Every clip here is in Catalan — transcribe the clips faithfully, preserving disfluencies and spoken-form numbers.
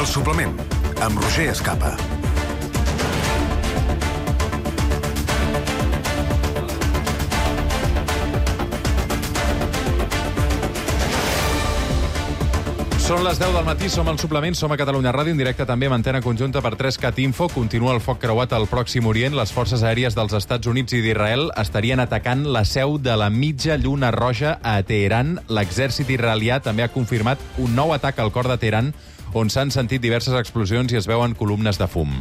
El suplement, amb Roger Escapa. Són les deu del matí, som al suplement, som a Catalunya Ràdio, en directe també amb antena conjunta per tres cat info. Continua el foc creuat al Pròxim Orient. Les forces aèries dels Estats Units i d'Israel estarien atacant la seu de la mitja lluna roja a Teheran. L'exèrcit israelià també ha confirmat un nou atac al cor de Teheran, on s'han sentit diverses explosions i es veuen columnes de fum.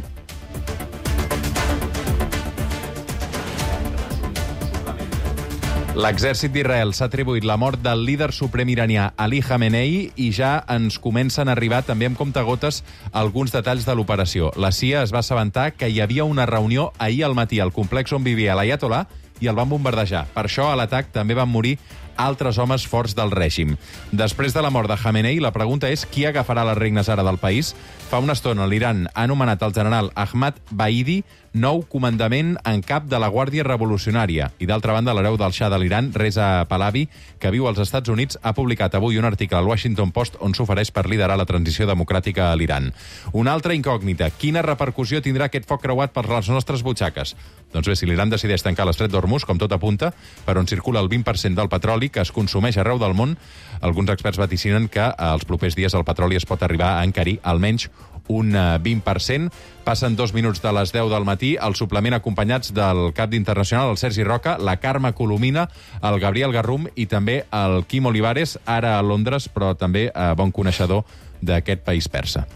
L'exèrcit d'Israel s'ha atribuït la mort del líder suprem iranià Ali Khamenei i ja ens comencen a arribar també amb comptagotes alguns detalls de l'operació. La C I A es va assabentar que hi havia una reunió ahir al matí al complex on vivia l'Ayatollah i el van bombardejar. Per això, a l'atac també van morir altres homes forts del règim. Després de la mort de Khamenei, la pregunta és qui agafarà les regnes ara del país? Fa una estona l'Iran ha anomenat el general Ahmad Baidi nou comandament en cap de la Guàrdia Revolucionària. I d'altra banda, l'hereu del Shah de l'Iran, Reza Pahlavi, que viu als Estats Units, ha publicat avui un article al Washington Post on s'ofereix per liderar la transició democràtica a l'Iran. Una altra incògnita. Quina repercussió tindrà aquest foc creuat per les nostres butxaques? Doncs bé, si l'Iran decideix tancar l'estret d'Hormuz, com tot apunta, per on circula el vint per cent del petroli que es consumeix arreu del món, alguns experts vaticinen que als propers dies el petroli es pot arribar a encarir almenys un vint per cent. Passen dos minuts de les deu del matí, al suplement acompanyats del cap d'internacional, el Sergi Roca, la Carme Colomina, el Gabriel Garrum i també el Quim Olivares, ara a Londres, però també eh, bon coneixedor d'aquest país persa.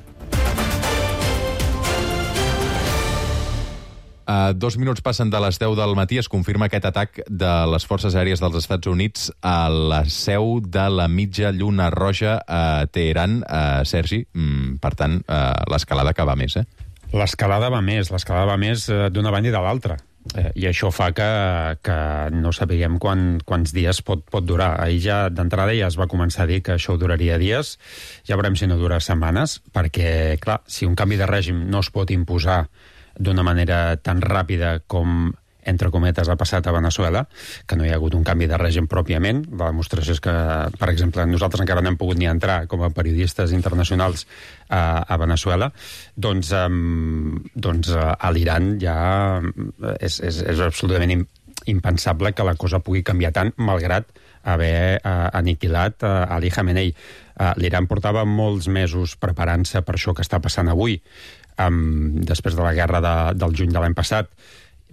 Uh, dos minuts passen de les deu del matí, es confirma aquest atac de les forces aèries dels Estats Units a la seu de la mitja lluna roja a Teheran. Uh, Sergi, mm, per tant, uh, l'escalada que va més, eh? L'escalada va més, l'escalada va més uh, d'una banda i de l'altra. Eh, I això fa que, que no sapiguem quan, quants dies pot, pot durar. Ahir ja d'entrada ja es va començar a dir que això duraria dies, ja veurem si no dura setmanes, perquè, clar, si un canvi de règim no es pot imposar d'una manera tan ràpida com, entre cometes, ha passat a Veneçuela, que no hi ha hagut un canvi de règim pròpiament. La demostració és que, per exemple, nosaltres encara no hem pogut ni entrar com a periodistes internacionals a, a Veneçuela, doncs, um, doncs a l'Iran ja és, és, és absolutament impensable que la cosa pugui canviar tant, malgrat haver uh, aniquilat uh, Ali Khamenei. Uh, L'Iran portava molts mesos preparant-se per això que està passant avui, Um, després de la guerra de, del juny de l'any passat,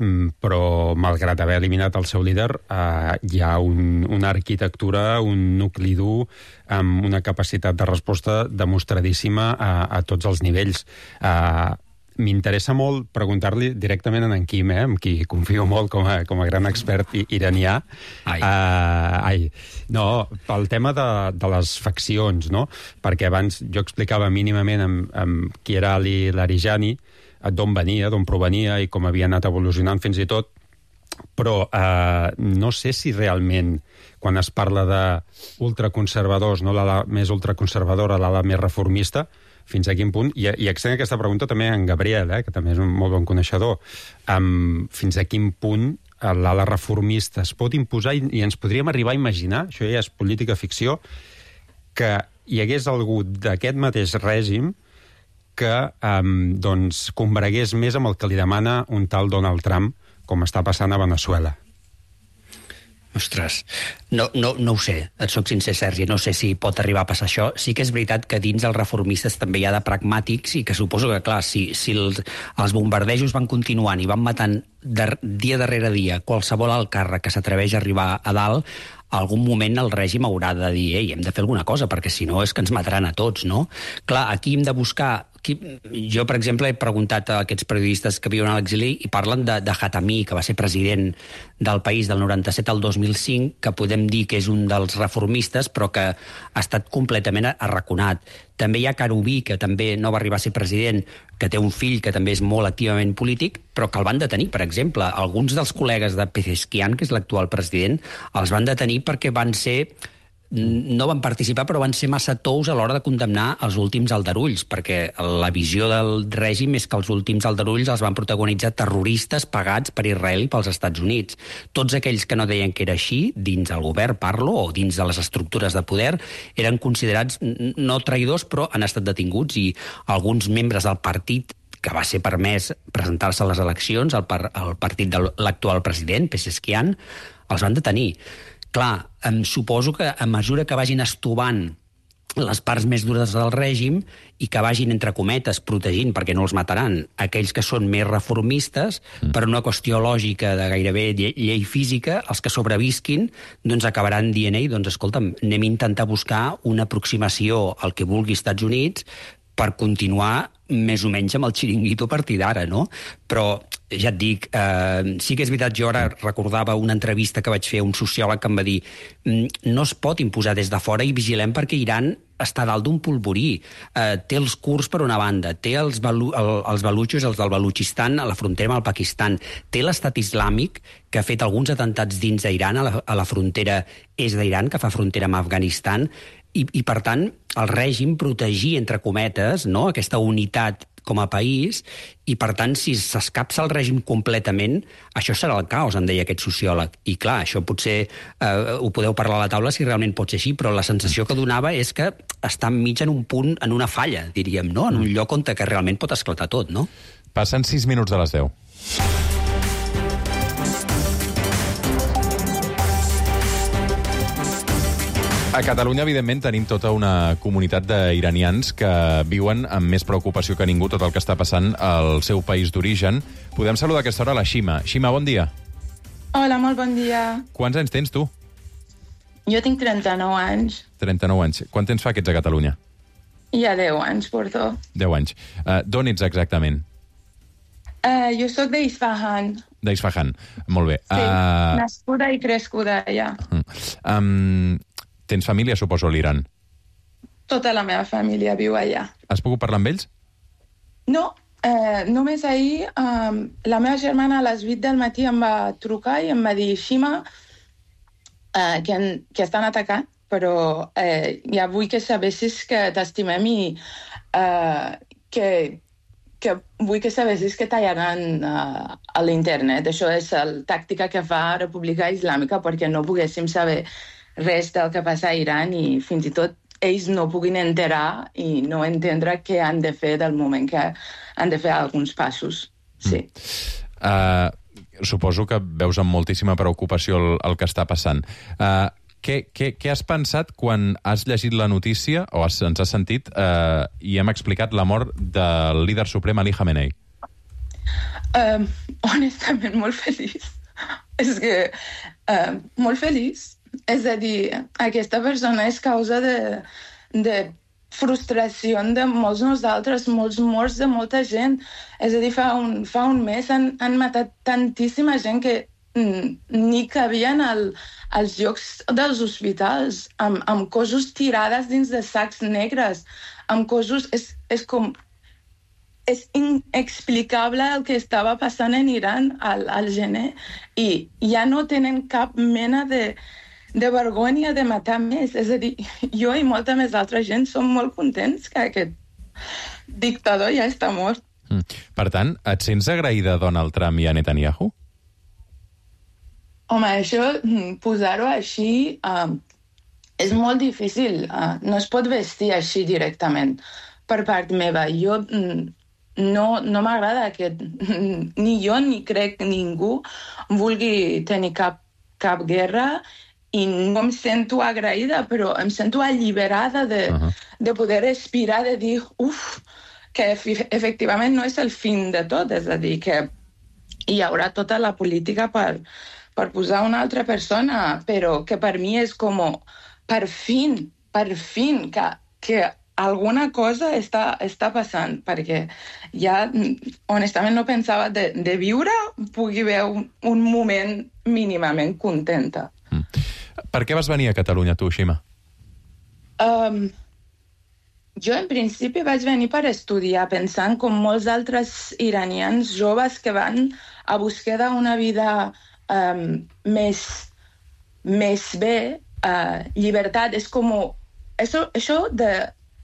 um, però malgrat haver eliminat el seu líder, uh, hi ha un, una arquitectura, un nucli dur, amb una capacitat de resposta demostradíssima a, a tots els nivells. Uh, M'interessa molt preguntar-li directament a en Quim, eh, amb qui confio molt com a, com a gran expert iranià. Ai. Uh, ai. No, pel tema de, de les faccions, no? Perquè abans jo explicava mínimament amb, amb qui era Ali Larijani, d'on venia, d'on provenia i com havia anat evolucionant fins i tot, però uh, no sé si realment quan es parla d'ultraconservadors, no l'ala més ultraconservadora, l'ala més reformista, fins a quin punt, i, i extenc aquesta pregunta també a en Gabriel, eh, que també és un molt bon coneixedor, um, fins a quin punt l'ala reformista es pot imposar i, i ens podríem arribar a imaginar, això ja és política ficció, que hi hagués algú d'aquest mateix règim que um, doncs, combregués més amb el que li demana un tal Donald Trump, com està passant a Veneçuela. Ostres, no, no, no ho sé, et soc sincer, Sergi, no sé si pot arribar a passar això. Sí que és veritat que dins els reformistes també hi ha de pragmàtics i que suposo que, clar, si, si els, els bombardejos van continuant i van matant de, dia darrere dia qualsevol alt càrrec que s'atreveix a arribar a dalt, a algun moment el règim haurà de dir ei, hem de fer alguna cosa, perquè si no és que ens mataran a tots, no? Clar, aquí hem de buscar... Jo, per exemple, he preguntat a aquests periodistes que viuen a l'exili i parlen de, de Khatami, que va ser president del país del noranta-set al dos mil cinc, que podem dir que és un dels reformistes, però que ha estat completament arraconat. També hi ha Karoubi, que també no va arribar a ser president, que té un fill que també és molt activament polític, però que el van detenir, per exemple. Alguns dels col·legues de Pezeshkian, que és l'actual president, els van detenir perquè van ser no van participar, però van ser massa tous a l'hora de condemnar els últims aldarulls, perquè la visió del règim és que els últims aldarulls els van protagonitzar terroristes pagats per Israel i pels Estats Units. Tots aquells que no deien que era així, dins el govern parlo, o dins de les estructures de poder, eren considerats no traïdors, però han estat detinguts, i alguns membres del partit que va ser permès presentar-se a les eleccions, el, par el partit de l'actual president, Pezeshkian, els van detenir. Clar, em suposo que a mesura que vagin estovant les parts més dures del règim i que vagin, entre cometes, protegint, perquè no els mataran, aquells que són més reformistes, mm. per una qüestió lògica de gairebé llei física, els que sobrevisquin doncs acabaran dient, ei, doncs escolta'm, anem a intentar buscar una aproximació al que vulgui Estats Units per continuar més o menys amb el xiringuito a partir d'ara, no? Però, ja et dic, eh, sí que és veritat, jo ara recordava una entrevista que vaig fer a un sociòleg que em va dir no es pot imposar des de fora i vigilem perquè Iran està dalt d'un polvorí. Eh, té els kurds per una banda, té els, balu el, els balutxos, els del Balutxistan, a la frontera amb el Pakistan, té l'estat islàmic, que ha fet alguns atentats dins d'Iran, a, la, a la frontera est d'Iran, que fa frontera amb Afganistan, i, i per tant, el règim protegir, entre cometes, no?, aquesta unitat com a país, i per tant, si s'escapça el règim completament, això serà el caos, em deia aquest sociòleg. I clar, això potser eh, ho podeu parlar a la taula si realment pot ser així, però la sensació que donava és que està enmig en un punt, en una falla, diríem, no?, en un lloc on que realment pot esclatar tot, no? Passen sis minuts de les deu. A Catalunya, evidentment, tenim tota una comunitat d'iranians que viuen amb més preocupació que ningú tot el que està passant al seu país d'origen. Podem saludar a aquesta hora la Xima. Xima, bon dia. Hola, molt bon dia. Quants anys tens, tu? Jo tinc trenta-nou anys. trenta-nou anys. Quant temps fa que ets a Catalunya? Ja deu anys, porto. deu anys. Uh, D'on ets exactament? Uh, jo sóc d'Isfahan. D'Isfahan, molt bé. Sí, uh... nascuda i crescuda allà. Uh, um, tens família, suposo, a l'Iran? Tota la meva família viu allà. Has pogut parlar amb ells? No, eh, només ahir eh, la meva germana a les vuit del matí em va trucar i em va dir Xima, eh, que, en, que estan atacant, però eh, ja vull que sabessis que t'estimem i eh, que, que vull que sabessis que tallaran uh, a l'internet. Això és la tàctica que fa República Islàmica perquè no poguéssim saber res del que passa a Iran i fins i tot ells no puguin enterar i no entendre què han de fer del moment que han de fer alguns passos. Sí. Mm. Uh, suposo que veus amb moltíssima preocupació el, el que està passant. Uh, què, què, què has pensat quan has llegit la notícia, o has, ens has sentit, uh, i hem explicat la mort del líder suprem Ali Khamenei? Uh, honestament, molt feliç. És que... Uh, molt feliç. És a dir, aquesta persona és causa de, de frustració de molts nosaltres, molts morts de molta gent. És a dir, fa un, fa un mes han, han matat tantíssima gent que mm, ni cabien al, als llocs dels hospitals, amb, amb cossos tirades dins de sacs negres, amb cossos... És, és com... És inexplicable el que estava passant en Iran al, al gener i ja no tenen cap mena de... de vergonya de matar més. És a dir, jo i molta més altra gent som molt contents que aquest dictador ja està mort. Mm. Per tant, et sents agraïda a Donald Trump i a Netanyahu? Home, això, posar-ho així, uh, és molt difícil. Uh, no es pot vestir així directament per part meva. Jo mm, no, no m'agrada que ni jo ni crec ningú vulgui tenir cap, cap guerra i no em sento agraïda, però em sento alliberada de, uh-huh. de poder respirar, de dir, uf, que efectivament no és el fin de tot, és a dir, que hi haurà tota la política per, per posar una altra persona, però que per mi és com, per fin, per fin, que, que alguna cosa està, està passant, perquè ja, honestament, no pensava de, de viure, pugui haver un, un moment mínimament contenta. Mm. Per què vas venir a Catalunya, tu, Xima? Um, jo, en principi, vaig venir per estudiar, pensant com molts altres iranians joves que van a buscar d'una vida um, més, més bé, uh, llibertat, és com... Això, això de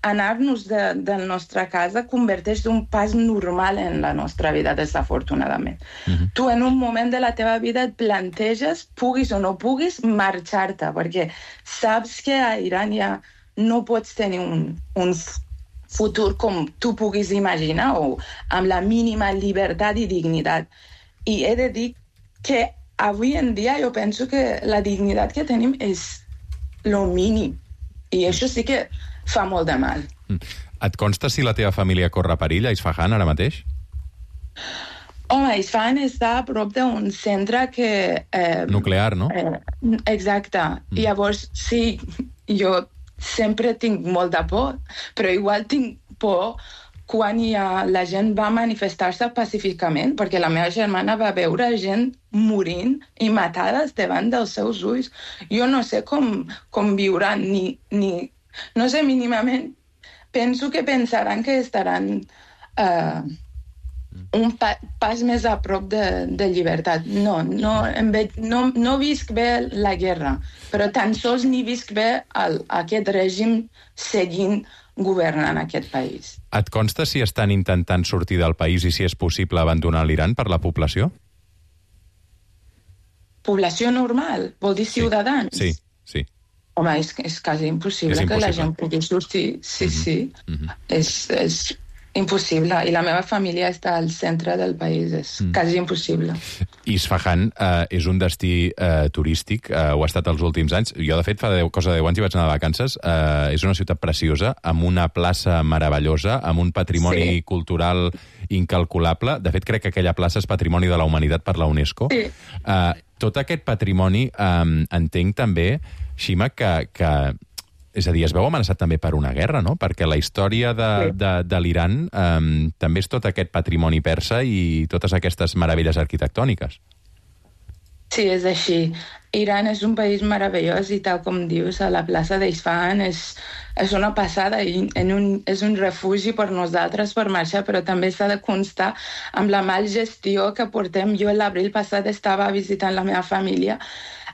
anar-nos de, de la nostra casa converteix d'un pas normal en la nostra vida, desafortunadament. Mm-hmm. Tu en un moment de la teva vida et planteges, puguis o no puguis, marxar-te, perquè saps que a Iran ja no pots tenir un, un futur com tu puguis imaginar o amb la mínima llibertat i dignitat. I he de dir que avui en dia jo penso que la dignitat que tenim és lo mínim. I això sí que fa molt de mal. Et consta si la teva família corre perill a Isfahan ara mateix? Home, Isfahan està a prop d'un centre que... Eh, Nuclear, no? Eh, exacte. Mm. Llavors, sí, jo sempre tinc molta por, però igual tinc por quan ja la gent va manifestar-se pacíficament, perquè la meva germana va veure gent morint i matades davant dels seus ulls. Jo no sé com, com viuran, ni, ni... No sé, mínimament, penso que pensaran que estaran uh, un pa pas més a prop de, de llibertat. No, no, em veig, no, no visc bé la guerra, però tan sols ni visc bé el, aquest règim seguint governant aquest país. Et consta si estan intentant sortir del país i si és possible abandonar l'Iran per la població? Població normal? Vol dir ciutadans? Sí, sí. sí. Home, és, és quasi impossible, és impossible que la gent pugui sortir. Sí, mm-hmm. sí. Mm-hmm. És, és impossible. I la meva família està al centre del país. És mm. quasi impossible. Isfahan eh, és un destí eh, turístic, eh, ho ha estat els últims anys. Jo, de fet, fa deu, cosa de deu anys hi vaig anar de vacances. Eh, és una ciutat preciosa, amb una plaça meravellosa, amb un patrimoni sí. cultural incalculable. De fet, crec que aquella plaça és Patrimoni de la Humanitat per la UNESCO. Sí. Eh, tot aquest patrimoni, eh, entenc també, Shima, que, que és a dir, es veu amenaçat també per una guerra, no? Perquè la història de, sí. de, de l'Iran um, també és tot aquest patrimoni persa i totes aquestes meravelles arquitectòniques. Sí, és així. Iran és un país meravellós i tal com dius, a la plaça d'Isfahan és, és una passada i en un, és un refugi per nosaltres per marxar, però també s'ha de constar amb la mal gestió que portem. Jo l'abril passat estava visitant la meva família.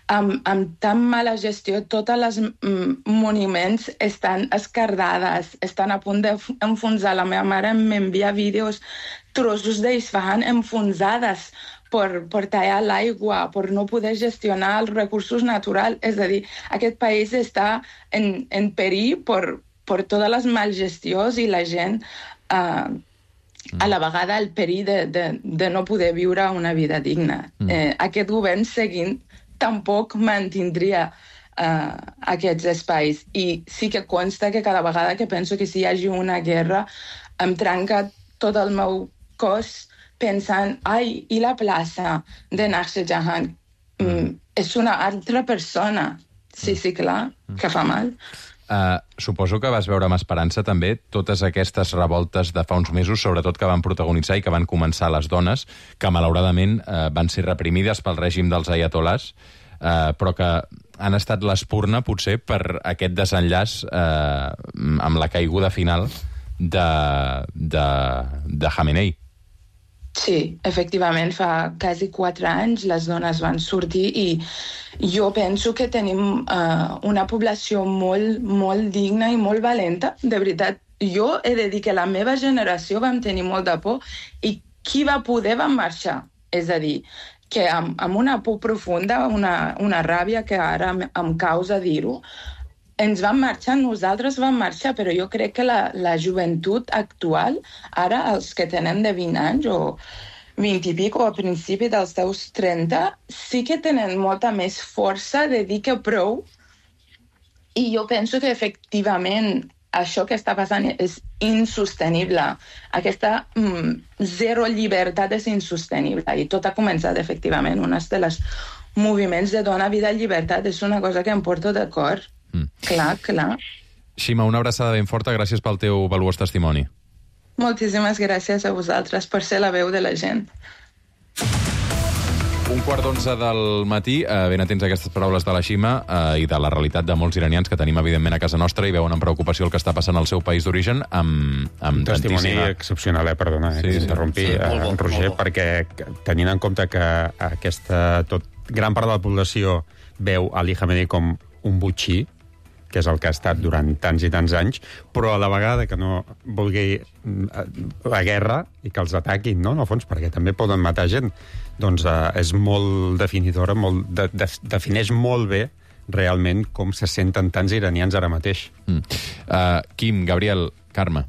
Amb, amb tan mala gestió, totes les mm, monuments estan escardades, estan a punt d'enfonsar. La meva mare m'envia vídeos, trossos d'Isfahan enfonsades per, per tallar l'aigua, per no poder gestionar els recursos naturals. És a dir, aquest país està en, en perill per, per totes les malgestions i la gent eh, a la vegada el perill de, de, de no poder viure una vida digna. Mm. Eh, aquest govern seguint tampoc mantindria uh, aquests espais. I sí que consta que cada vegada que penso que si hi hagi una guerra em trenca tot el meu cos pensant, ai, i la plaça de Nakhshe Jahan? Mm, és una altra persona. Sí, sí, clar, que fa mal. Uh, suposo que vas veure amb esperança també totes aquestes revoltes de fa uns mesos, sobretot que van protagonitzar i que van començar les dones, que malauradament uh, van ser reprimides pel règim dels ayatolás, uh, però que han estat l'espurna potser per aquest desenllaç uh, amb la caiguda final de, de, de Khamenei. Sí, efectivament, fa quasi quatre anys les dones van sortir i jo penso que tenim uh, una població molt, molt digna i molt valenta. De veritat, jo he de dir que la meva generació vam tenir molt de por i qui va poder va marxar. És a dir, que amb, amb una por profunda, una, una ràbia que ara em causa dir-ho, ens vam marxar, nosaltres vam marxar, però jo crec que la, la joventut actual, ara els que tenen de vint anys o vint i pic o a principi dels seus trenta, sí que tenen molta més força de dir que prou. I jo penso que efectivament això que està passant és insostenible. Aquesta mm, zero llibertat és insostenible i tot ha començat efectivament. Un dels moviments de dona, vida i llibertat és una cosa que em porto de cor. Mm. Clar, clar. Shima, una abraçada ben forta, gràcies pel teu valuós testimoni. Moltíssimes gràcies a vosaltres per ser la veu de la gent. Un quart d'onze del matí, eh, ben atents a aquestes paraules de la Shima eh, i de la realitat de molts iranians que tenim, evidentment, a casa nostra i veuen amb preocupació el que està passant al seu país d'origen amb, amb un testimoni tantíssima... excepcional, eh, perdona, eh, sí, que s'interrompi, sí, sí, eh, Roger, perquè tenint en compte que aquesta tot, gran part de la població veu Ali Khamenei com un botxí, que és el que ha estat durant tants i tants anys, però a la vegada que no vulgui la guerra i que els ataquin, no?, en el fons, perquè també poden matar gent, doncs eh, és molt definidora, molt, de, de, defineix molt bé realment com se senten tants iranians ara mateix. Mm. Uh, Quim, Gabriel, Carme.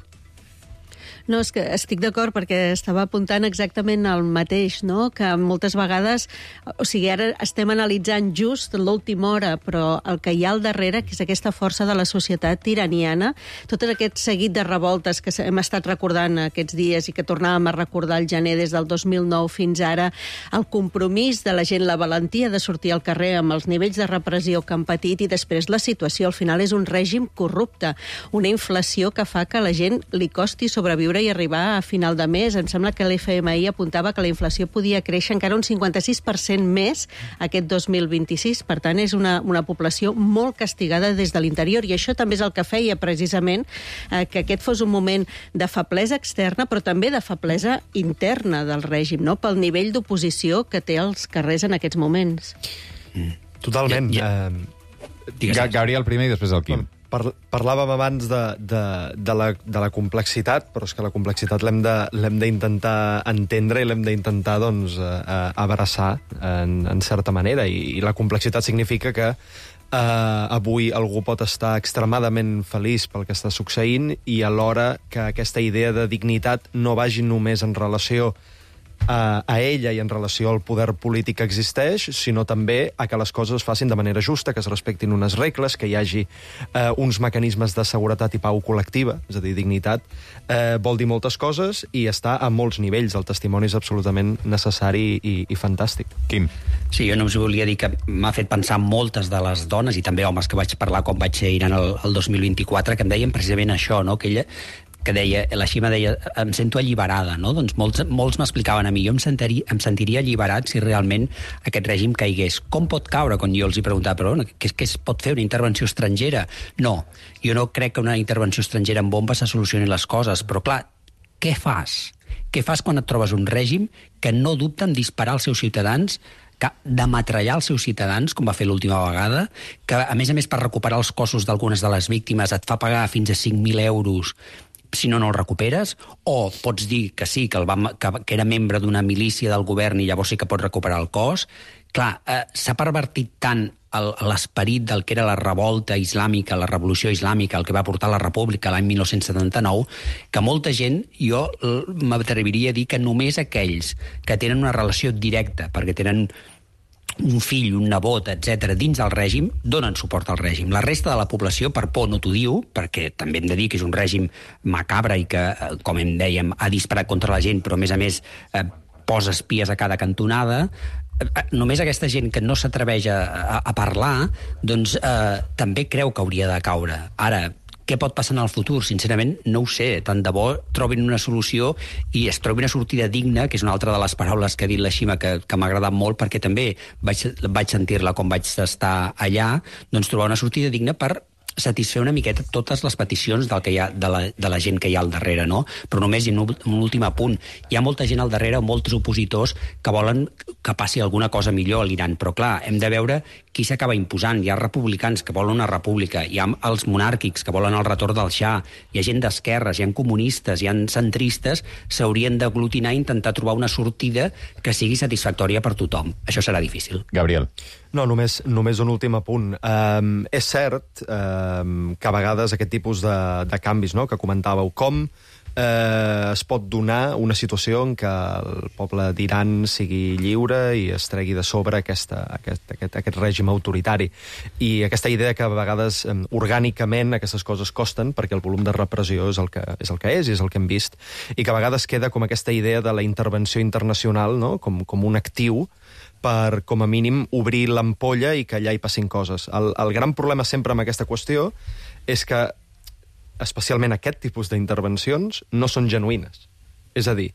No, és que estic d'acord perquè estava apuntant exactament el mateix, no? Que moltes vegades, o sigui, ara estem analitzant just l'última hora, però el que hi ha al darrere, que és aquesta força de la societat iraniana, tot aquest seguit de revoltes que hem estat recordant aquests dies i que tornàvem a recordar el gener des del dos mil nou fins ara, el compromís de la gent, la valentia de sortir al carrer amb els nivells de repressió que han patit i després la situació. Al final és un règim corrupte, una inflació que fa que a la gent li costi sobreviure i arribar a final de mes. Em sembla que l'F M I apuntava que la inflació podia créixer encara un cinquanta-sis per cent més aquest dos mil vint-i-sis. Per tant, és una, una població molt castigada des de l'interior i això també és el que feia precisament eh, que aquest fos un moment de feblesa externa però també de feblesa interna del règim, no?, pel nivell d'oposició que té als carrers en aquests moments. Mm. Totalment. Ja, ja. Eh... Gabriel primer i després el Quim. Par parlàvem abans de, de, de, la, de la complexitat, però és que la complexitat l'hem d'intentar entendre i l'hem d'intentar doncs, eh, abraçar en, en certa manera. I, i la complexitat significa que eh, avui algú pot estar extremadament feliç pel que està succeint i alhora que aquesta idea de dignitat no vagi només en relació a, a ella i en relació al poder polític que existeix, sinó també a que les coses es facin de manera justa, que es respectin unes regles, que hi hagi eh, uns mecanismes de seguretat i pau col·lectiva, és a dir, dignitat, eh, vol dir moltes coses i està a molts nivells. El testimoni és absolutament necessari i, i fantàstic. Quim. Sí, jo només volia dir que m'ha fet pensar moltes de les dones i també homes que vaig parlar quan vaig ser a Iran el, el dos mil vint-i-quatre, que em deien precisament això, no?, que ella que deia, la Xima deia, em sento alliberada, no? Doncs molts, molts m'explicaven a mi, jo em, sentari, em sentiria alliberat si realment aquest règim caigués. Com pot caure? Quan jo els hi preguntava, però què, què es pot fer, una intervenció estrangera? No, jo no crec que una intervenció estrangera amb bombes se solucioni les coses, però clar, què fas? Què fas quan et trobes un règim que no dubta en disparar als seus ciutadans, que d'ametrallar els seus ciutadans, com va fer l'última vegada, que a més a més per recuperar els cossos d'algunes de les víctimes et fa pagar fins a cinc mil euros si no, no el recuperes, o pots dir que sí, que, el va, que, que era membre d'una milícia del govern i llavors sí que pots recuperar el cos. Clar, eh, s'ha pervertit tant l'esperit del que era la revolta islàmica, la revolució islàmica, el que va portar la república l'any dinou setanta-nou, que molta gent, jo m'atreviria a dir que només aquells que tenen una relació directa, perquè tenen un fill, un nebot, etcètera, dins del règim, donen suport al règim. La resta de la població, per por, no t'ho diu, perquè també hem de dir que és un règim macabre i que, com em dèiem, ha disparat contra la gent, però a més a més eh, posa espies a cada cantonada. Només aquesta gent que no s'atreveix a, a, a parlar, doncs eh, també creu que hauria de caure. Ara, què pot passar en el futur? Sincerament, no ho sé. Tant de bo trobin una solució i es trobi una sortida digna, que és una altra de les paraules que ha dit la Xima, que, que m'ha agradat molt, perquè també vaig, vaig sentir-la quan vaig estar allà, doncs trobar una sortida digna per satisfer una miqueta totes les peticions del que hi ha, de, la, de la gent que hi ha al darrere, no? Però només, i un, un últim apunt, hi ha molta gent al darrere, molts opositors, que volen que passi alguna cosa millor a l'Iran, però clar, hem de veure qui s'acaba imposant. Hi ha republicans que volen una república, hi ha els monàrquics que volen el retorn del Shah, hi ha gent d'esquerres, hi ha comunistes, hi ha centristes, s'haurien d'aglutinar i intentar trobar una sortida que sigui satisfactòria per tothom. Això serà difícil. Gabriel. No, només, només un últim apunt. Um, és cert um, que a vegades aquest tipus de, de canvis, no?, que comentàveu, com eh, es pot donar una situació en què el poble d'Iran sigui lliure i es tregui de sobre aquesta, aquest, aquest, aquest règim autoritari. I aquesta idea que a vegades um, orgànicament aquestes coses costen perquè el volum de repressió és el que és, el que és i és el que hem vist, i que a vegades queda com aquesta idea de la intervenció internacional, no?, com, com un actiu per, com a mínim, obrir l'ampolla i que allà hi passin coses. El, el gran problema sempre amb aquesta qüestió és que, especialment aquest tipus d'intervencions, no són genuïnes. És a dir,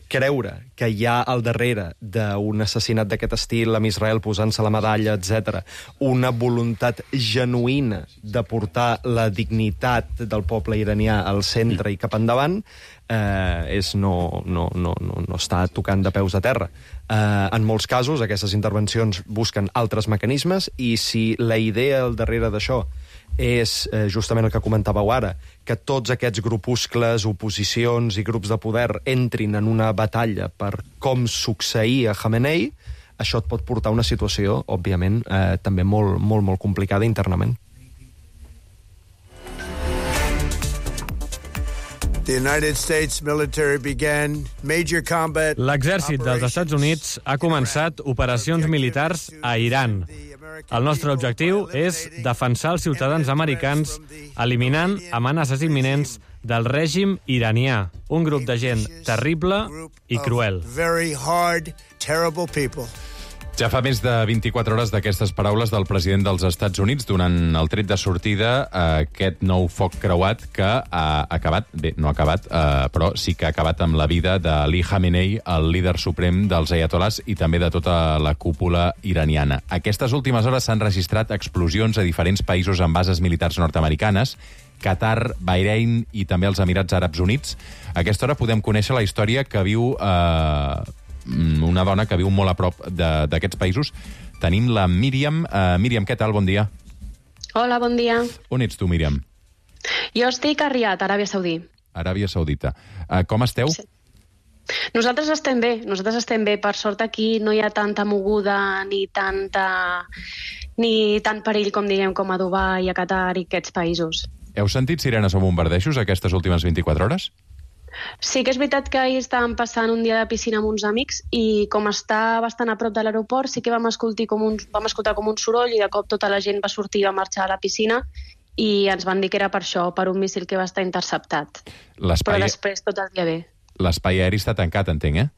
creure que hi ha al darrere d'un assassinat d'aquest estil, amb Israel posant-se la medalla, etcètera, una voluntat genuïna de portar la dignitat del poble iranià al centre i cap endavant, eh, és no, no, no, no, no està tocant de peus a terra. Eh, en molts casos, aquestes intervencions busquen altres mecanismes, i si la idea al darrere d'això és eh, justament el que comentàveu ara, que tots aquests grupuscles, oposicions i grups de poder entrin en una batalla per com succeir a Khamenei, això et pot portar a una situació, òbviament, eh, també molt, molt, molt complicada internament. L'exèrcit dels Estats Units ha començat operacions militars a Iran. El nostre objectiu és defensar els ciutadans americans eliminant amenaces imminents del règim iranià, un grup de gent terrible i cruel. Ja fa més de vint-i-quatre hores d'aquestes paraules del president dels Estats Units donant el tret de sortida a aquest nou foc creuat que ha acabat, bé, no ha acabat, eh, però sí que ha acabat amb la vida d'Ali Khamenei, el líder suprem dels ayatolás i també de tota la cúpula iraniana. Aquestes últimes hores s'han registrat explosions a diferents països amb bases militars nord-americanes, Qatar, Bahrein i també els Emirats Àrabs Units. A aquesta hora podem conèixer la història que viu eh, una dona que viu molt a prop d'aquests països. Tenim la Míriam. Uh, Míriam, què tal? Bon dia. Hola, bon dia. On ets tu, Míriam? Jo estic a Riad, Aràbia Saudí. Aràbia Saudita. Uh, com esteu? Sí. Nosaltres estem bé, nosaltres estem bé. Per sort aquí no hi ha tanta moguda ni tanta ni tant perill, com diguem, com a Dubai, a Qatar i aquests països. Heu sentit sirenes o bombardejos aquestes últimes vint-i-quatre hores? Sí que és veritat que ahir estàvem passant un dia de piscina amb uns amics i com està bastant a prop de l'aeroport sí que vam escoltar com un, vam escoltar com un soroll i de cop tota la gent va sortir i va marxar a la piscina i ens van dir que era per això, per un míssil que va estar interceptat. Però després tot el dia bé. L'espai aeri està tancat, entenc, eh?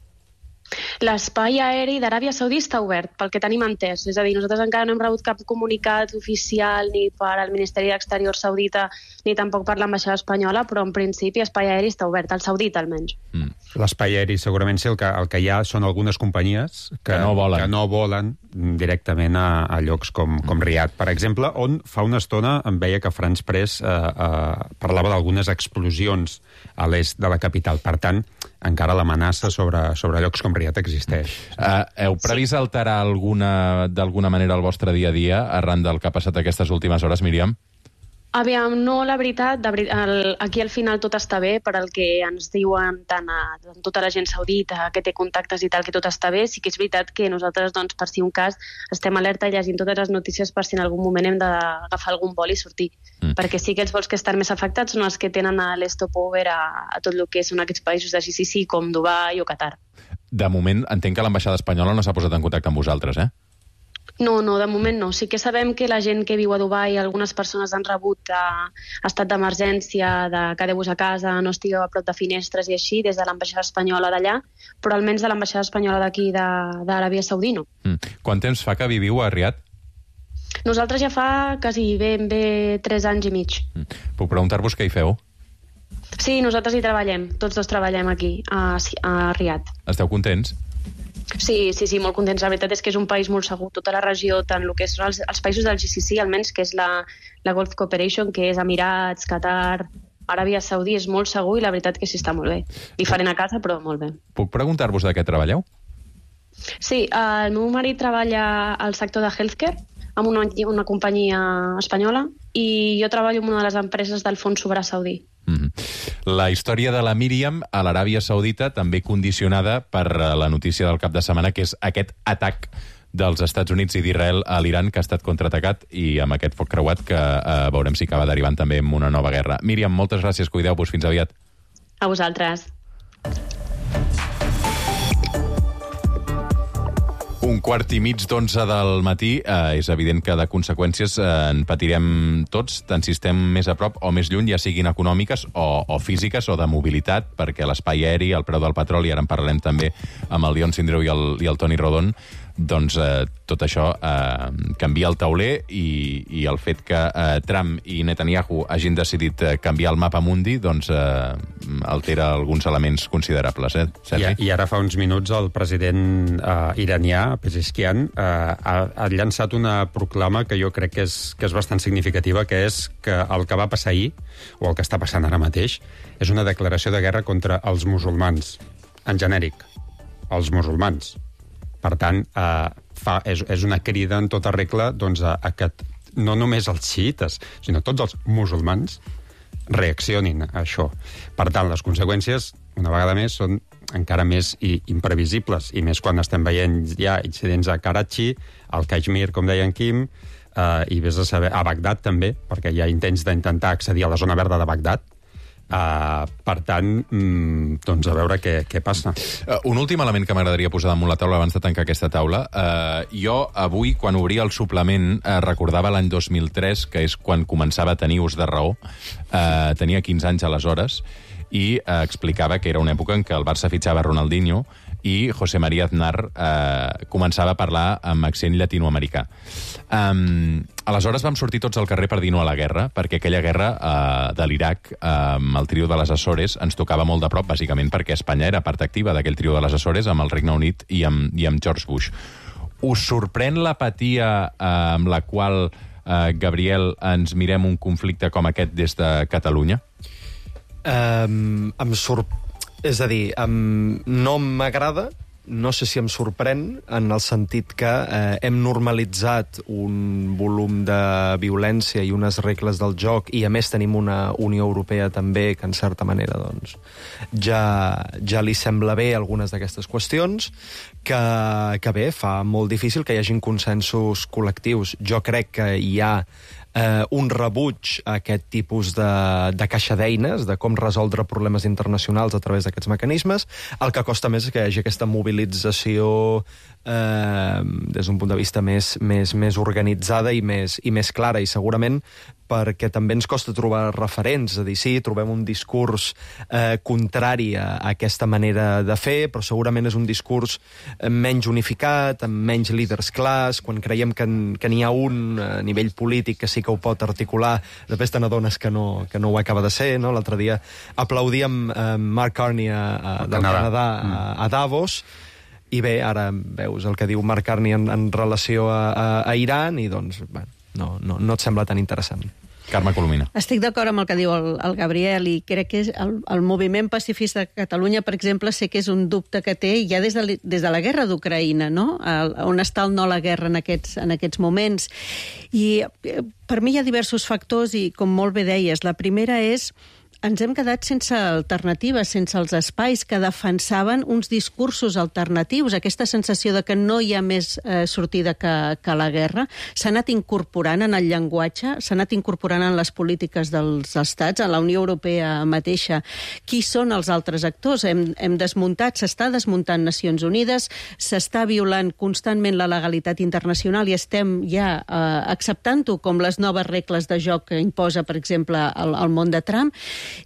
L'espai aeri d'Aràbia Saudí està obert, pel que tenim entès. És a dir, nosaltres encara no hem rebut cap comunicat oficial ni per al Ministeri d'Exterior saudita ni tampoc per l'ambaixada espanyola, però en principi l'espai aeri està obert, al saudita almenys. Mm. L'espai aeri segurament sí, el que, el que hi ha són algunes companyies que, que, no, volen. que no volen directament a, a llocs com, com Riad, per exemple, on fa una estona em veia que France Press eh, eh, parlava d'algunes explosions a l'est de la capital. Per tant, encara l'amenaça sobre, sobre llocs com Riad existeix. Uh, heu previst alterar alguna, d'alguna manera el vostre dia a dia arran del que ha passat aquestes últimes hores, Míriam? Aviam, no, la veritat, de ver... el... aquí al final tot està bé, per al que ens diuen tant a tota la gent saudita, que té contactes i tal, que tot està bé. Sí que és veritat que nosaltres, doncs, per si un cas, estem alerta i llegint totes les notícies per si en algun moment hem d'agafar algun vol i sortir. Mm. Perquè sí que els vols que estan més afectats són els que tenen a l'stopover a, a tot el que són aquests països de G C C, com Dubai o Qatar. De moment, entenc que l'ambaixada espanyola no s'ha posat en contacte amb vosaltres, eh? No, no, de moment no. Sí que sabem que la gent que viu a Dubai, algunes persones han rebut a, a estat d'emergència, de quedeu-vos a casa, no estigueu a prop de finestres i així, des de l'ambaixada espanyola d'allà, però almenys de l'ambaixada espanyola d'aquí, d'Aràbia Saudí, no. Mm. Quant temps fa que viviu a Riad? Nosaltres ja fa quasi ben bé tres anys i mig. Mm. Puc preguntar-vos què hi feu? Sí, nosaltres hi treballem. Tots dos treballem aquí, a, a Riad. Esteu contents? Sí, sí, sí, molt contents. La veritat és que és un país molt segur. Tota la regió, tant el que són els, els països del G C C, almenys, que és la, la Gulf Cooperation, que és Emirats, Qatar, Aràbia Saudí, és molt segur i la veritat que sí està molt bé. Diferent a casa, però molt bé. Puc preguntar-vos de què treballeu? Sí, el meu marit treballa al sector de healthcare, amb una, una companyia espanyola, i jo treballo en una de les empreses del Fons Soberà Saudí. Mm-hmm. La història de la Míriam a l'Aràbia Saudita també condicionada per la notícia del cap de setmana, que és aquest atac dels Estats Units i d'Israel a l'Iran, que ha estat contraatacat, i amb aquest foc creuat que eh, veurem si acaba derivant també en una nova guerra. Míriam, moltes gràcies, cuideu-vos, fins aviat. A vosaltres. Un quart i mig d'onze del matí, eh, és evident que de conseqüències eh, en patirem tots, tant si estem més a prop o més lluny, ja siguin econòmiques o, o físiques o de mobilitat, perquè l'espai aeri, el preu del petroli, ara en parlarem també amb el Dion Sindreu i el, i el Toni Rodon, doncs eh, tot això eh, canvia el tauler i, i el fet que eh, Trump i Netanyahu hagin decidit eh, canviar el mapa mundi doncs eh, altera alguns elements considerables. Eh, I, I ara fa uns minuts el president eh, iranià, Pezeshkian, eh, ha, ha llançat una proclama que jo crec que és, que és bastant significativa, que és que el que va passar ahir, o el que està passant ara mateix, és una declaració de guerra contra els musulmans, en genèric, els musulmans. Per tant, eh, fa, és, és una crida en tota regla doncs, a, a que no només els xiites, sinó tots els musulmans reaccionin a això. Per tant, les conseqüències, una vegada més, són encara més i, imprevisibles, i més quan estem veient ja incidents a Karachi, al Caixmir, com deia en Quim, eh, i vés a saber, a Bagdad també, perquè hi ha intents d'intentar accedir a la zona verda de Bagdad. Uh, per tant, mm, doncs a veure què, què passa. Uh, un últim element que m'agradaria posar damunt la taula abans de tancar aquesta taula. Uh, jo, avui, quan obria el suplement, uh, recordava l'any dos mil tres, que és quan començava a tenir ús de raó. Uh, tenia quinze anys aleshores, i uh, explicava que era una època en què el Barça fitxava Ronaldinho i José María Aznar eh, començava a parlar amb accent llatinoamericà. Um, aleshores vam sortir tots al carrer per dir no a la guerra, perquè aquella guerra eh, de l'Iraq, eh, amb el trio de les Açores, ens tocava molt de prop, bàsicament perquè Espanya era part activa d'aquell trio de les Açores amb el Regne Unit i amb, i amb George Bush. Us sorprèn l'apatia eh, amb la qual, eh, Gabriel, ens mirem un conflicte com aquest des de Catalunya? Um, em sorprèn. És a dir, um, no m'agrada, no sé si em sorprèn, en el sentit que eh, hem normalitzat un volum de violència i unes regles del joc, i a més tenim una Unió Europea també que, en certa manera, doncs, ja, ja li sembla bé algunes d'aquestes qüestions, que, que bé, fa molt difícil que hi hagin consensos col·lectius. Jo crec que hi ha Eh, un rebuig a aquest tipus de, de caixa d'eines, de com resoldre problemes internacionals a través d'aquests mecanismes. El que costa més és que hi hagi aquesta mobilització eh, des d'un punt de vista més, més, més organitzada i més, i més clara, i segurament perquè també ens costa trobar referents, és a dir, sí, trobem un discurs eh, contrari a, a aquesta manera de fer, però segurament és un discurs menys unificat, amb menys líders clars, quan creiem que, que n'hi ha un a nivell polític que sí que ho pot articular, després te n'adones que no, que no ho acaba de ser, no? L'altre dia aplaudíem eh, Mark Carney a, a, del Canadà, Canadà a, a Davos, i bé, ara veus el que diu Mark Carney en, en relació a, a, a Iran, i doncs, bueno, no, no, no et sembla tan interessant. Carme Colomina. Estic d'acord amb el que diu el, el Gabriel, i crec que és el, el moviment pacifista de Catalunya, per exemple, sé que és un dubte que té ja des de, des de la guerra d'Ucraïna, no? El, on està el no a la guerra en aquests, en aquests moments. I per mi hi ha diversos factors, i com molt bé deies, la primera és ens hem quedat sense alternatives, sense els espais que defensaven uns discursos alternatius. Aquesta sensació de que no hi ha més eh, sortida que, que la guerra s'ha anat incorporant en el llenguatge, s'ha anat incorporant en les polítiques dels estats, a la Unió Europea mateixa. Qui són els altres actors? Hem, hem desmuntat, s'està desmuntant Nacions Unides, s'està violant constantment la legalitat internacional i estem ja eh, acceptant-ho com les noves regles de joc que imposa, per exemple, el, el món de Trump.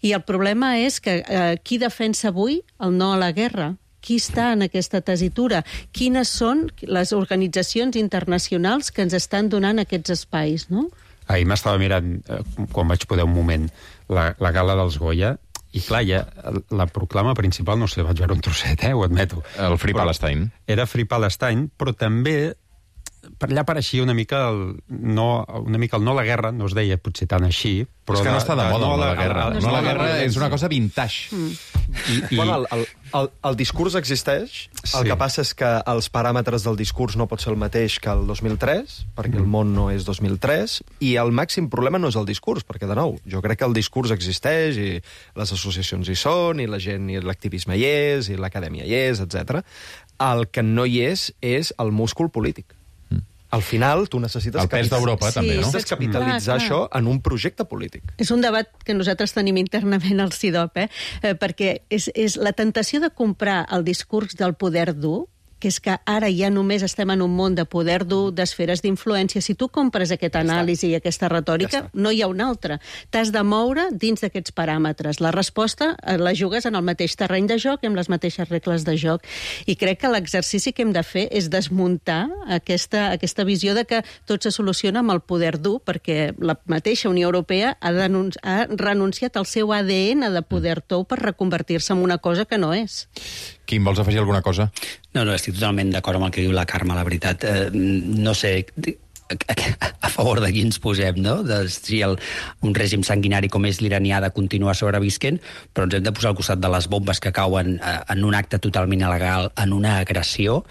I el problema és que eh, qui defensa avui el no a la guerra? Qui està en aquesta tessitura? Quines són les organitzacions internacionals que ens estan donant aquests espais, no? Ahir m'estava mirant, eh, quan vaig poder un moment, la, la gala dels Goya, i clar, ja, la proclama principal, no sé, vaig veure un trosset, eh, ho admeto. El Free però Palestine. Era Free Palestine, però també per allà pareixia una mica el no, una mica el no a la guerra, no es deia potser tant així, però... És que no està de moda no el no a a la guerra. No, no a la guerra és una cosa vintage. Mm. I, i... Bueno, el, el, el discurs existeix, el Sí. que passa és que els paràmetres del discurs no pot ser el mateix que el dos mil tres, perquè mm. el món no és dos mil tres, i el màxim problema no és el discurs, perquè, de nou, jo crec que el discurs existeix, i les associacions hi són, i la gent, i l'activisme hi és, i l'acadèmia hi és, etcètera. El que no hi és, és el múscul polític. Al final, tu necessites... El pes d'Europa, Sí, també, no? Necessites capitalitzar Clar, clar. això en un projecte polític. És un debat que nosaltres tenim internament al C I D O P, eh? Eh, perquè és, és la tentació de comprar el discurs del poder dur que és que ara ja només estem en un món de poder dur, d'esferes d'influència. Si tu compres aquest anàlisi i aquesta retòrica, ja no hi ha una altra. T'has de moure dins d'aquests paràmetres. La resposta la jugues en el mateix terreny de joc i amb les mateixes regles de joc. I crec que l'exercici que hem de fer és desmuntar aquesta, aquesta visió de que tot se soluciona amb el poder dur, perquè la mateixa Unió Europea ha, ha renunciat al seu A D N de poder tou per reconvertir-se en una cosa que no és. Quim, vols afegir alguna cosa? No, no, estic totalment d'acord amb el que diu la Carme, la veritat. Eh, no sé a favor de qui ens posem, no? De si el, un règim sanguinari com és l'iranià de continuar sobrevisquent, però ens hem de posar al costat de les bombes que cauen eh, en un acte totalment il·legal, en una agressió.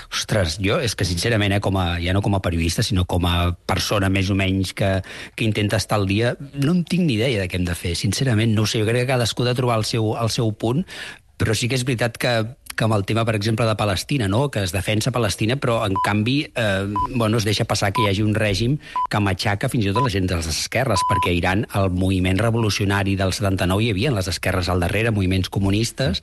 Ostres, jo és que sincerament, eh, com a, ja no com a periodista, sinó com a persona més o menys que, que intenta estar al dia, no en tinc ni idea de què hem de fer. Sincerament, no ho sé, jo crec que cadascú ha de trobar el seu, el seu punt, però sí que és veritat que que amb el tema, per exemple, de Palestina, no? Que es defensa Palestina, però, en canvi, eh, bueno, es deixa passar que hi hagi un règim que matxaca fins i tot la gent de les esquerres, perquè a Iran el moviment revolucionari del setanta-nou hi havia les esquerres al darrere, moviments comunistes,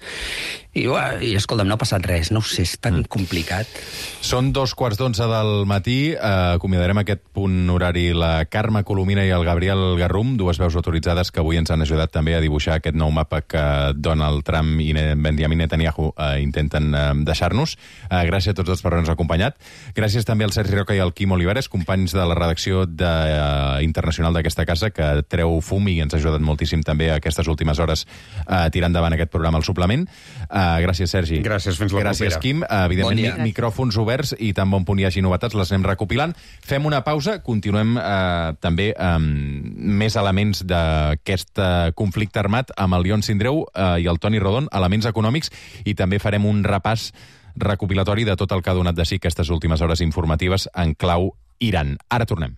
i, uah, i escolta'm, no ha passat res, no ho sé, és tan mm. complicat. Són dos quarts d'onze del matí, eh, acomiadarem aquest punt horari la Carme Colomina i el Gabriel Garrum, dues veus autoritzades que avui ens han ajudat també a dibuixar aquest nou mapa que Donald Trump i Benjamin Netanyahu eh, intenten eh, deixar-nos. Eh, gràcies a tots dos per haver-nos acompanyat. Gràcies també al Sergi Roca i al Quim Olivares, companys de la redacció de, uh, internacional d'aquesta casa, que treu fum i ens ha ajudat moltíssim també a aquestes últimes hores a uh, tirar endavant aquest programa al suplement. Uh, gràcies, Sergi. Gràcies, fins la gràcies, propera. Quim. Uh, evidentment, bon micròfons oberts i tan bon punt hi hagi novetats, les anem recopilant. Fem una pausa, continuem uh, també amb més elements d'aquest uh, conflicte armat amb el Lion Sindreu uh, i el Toni Rodon, elements econòmics, i també farem un repàs recopilatori de tot el que ha donat de si aquestes últimes hores informatives en clau Iran. Ara tornem.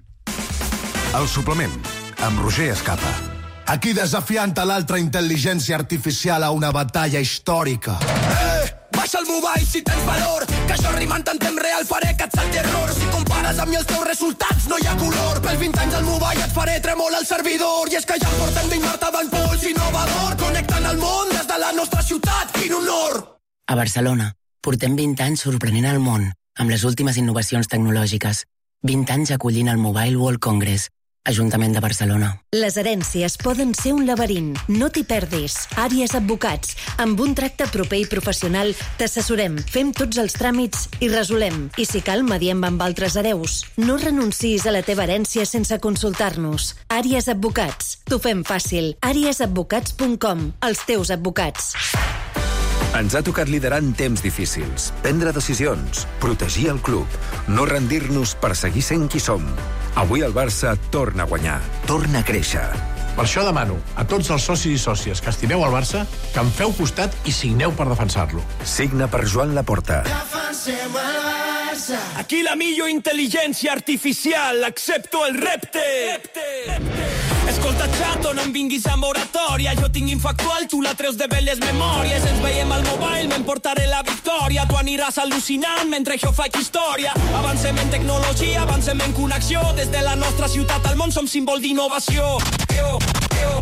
El suplement, amb Roger Escapa. Aquí desafiant a l'altra intel·ligència artificial a una batalla històrica. Eh! Baixa el mobile si tens valor, que jo rimant en temps real faré que et salti error. Si compares amb mi els teus resultats no hi ha color. Pels vint anys al mobile et faré tremolar el servidor. I és que ja portem vint Marta d'en Pols innovador, connectant el món des de la nostra ciutat. Quin honor! A Barcelona, portem vint anys sorprenent el món amb les últimes innovacions tecnològiques. vint anys acollint el Mobile World Congress, Ajuntament de Barcelona. Les herències poden ser un laberint. No t'hi perdis. Àries Advocats. Amb un tracte proper i professional t'assessorem, fem tots els tràmits i resolem. I si cal, mediem amb altres hereus. No renuncis a la teva herència sense consultar-nos. Àries Advocats. T'ho fem fàcil. àries advocats punt com. Els teus advocats. Ens ha tocat liderar en temps difícils, prendre decisions, protegir el club, no rendir-nos per seguir sent qui som. Avui el Barça torna a guanyar, torna a créixer. Per això demano a tots els socis i sòcies que estimeu el Barça que em feu costat i signeu per defensar-lo. Signa per Joan Laporta. Defensem el Barça. Aquí la millor intel·ligència artificial, accepto el repte. repte. repte. Escolta, xato, no em vinguis a moratòria. Jo tinc infactual, tu la treus de belles memòries. Ens veiem al mobile, m'emportaré la victòria. Tu aniràs al·lucinant mentre jo faig història. Avancem en tecnologia, avancem en connexió. Des de la nostra ciutat al món som símbol d'innovació. Yo, yo.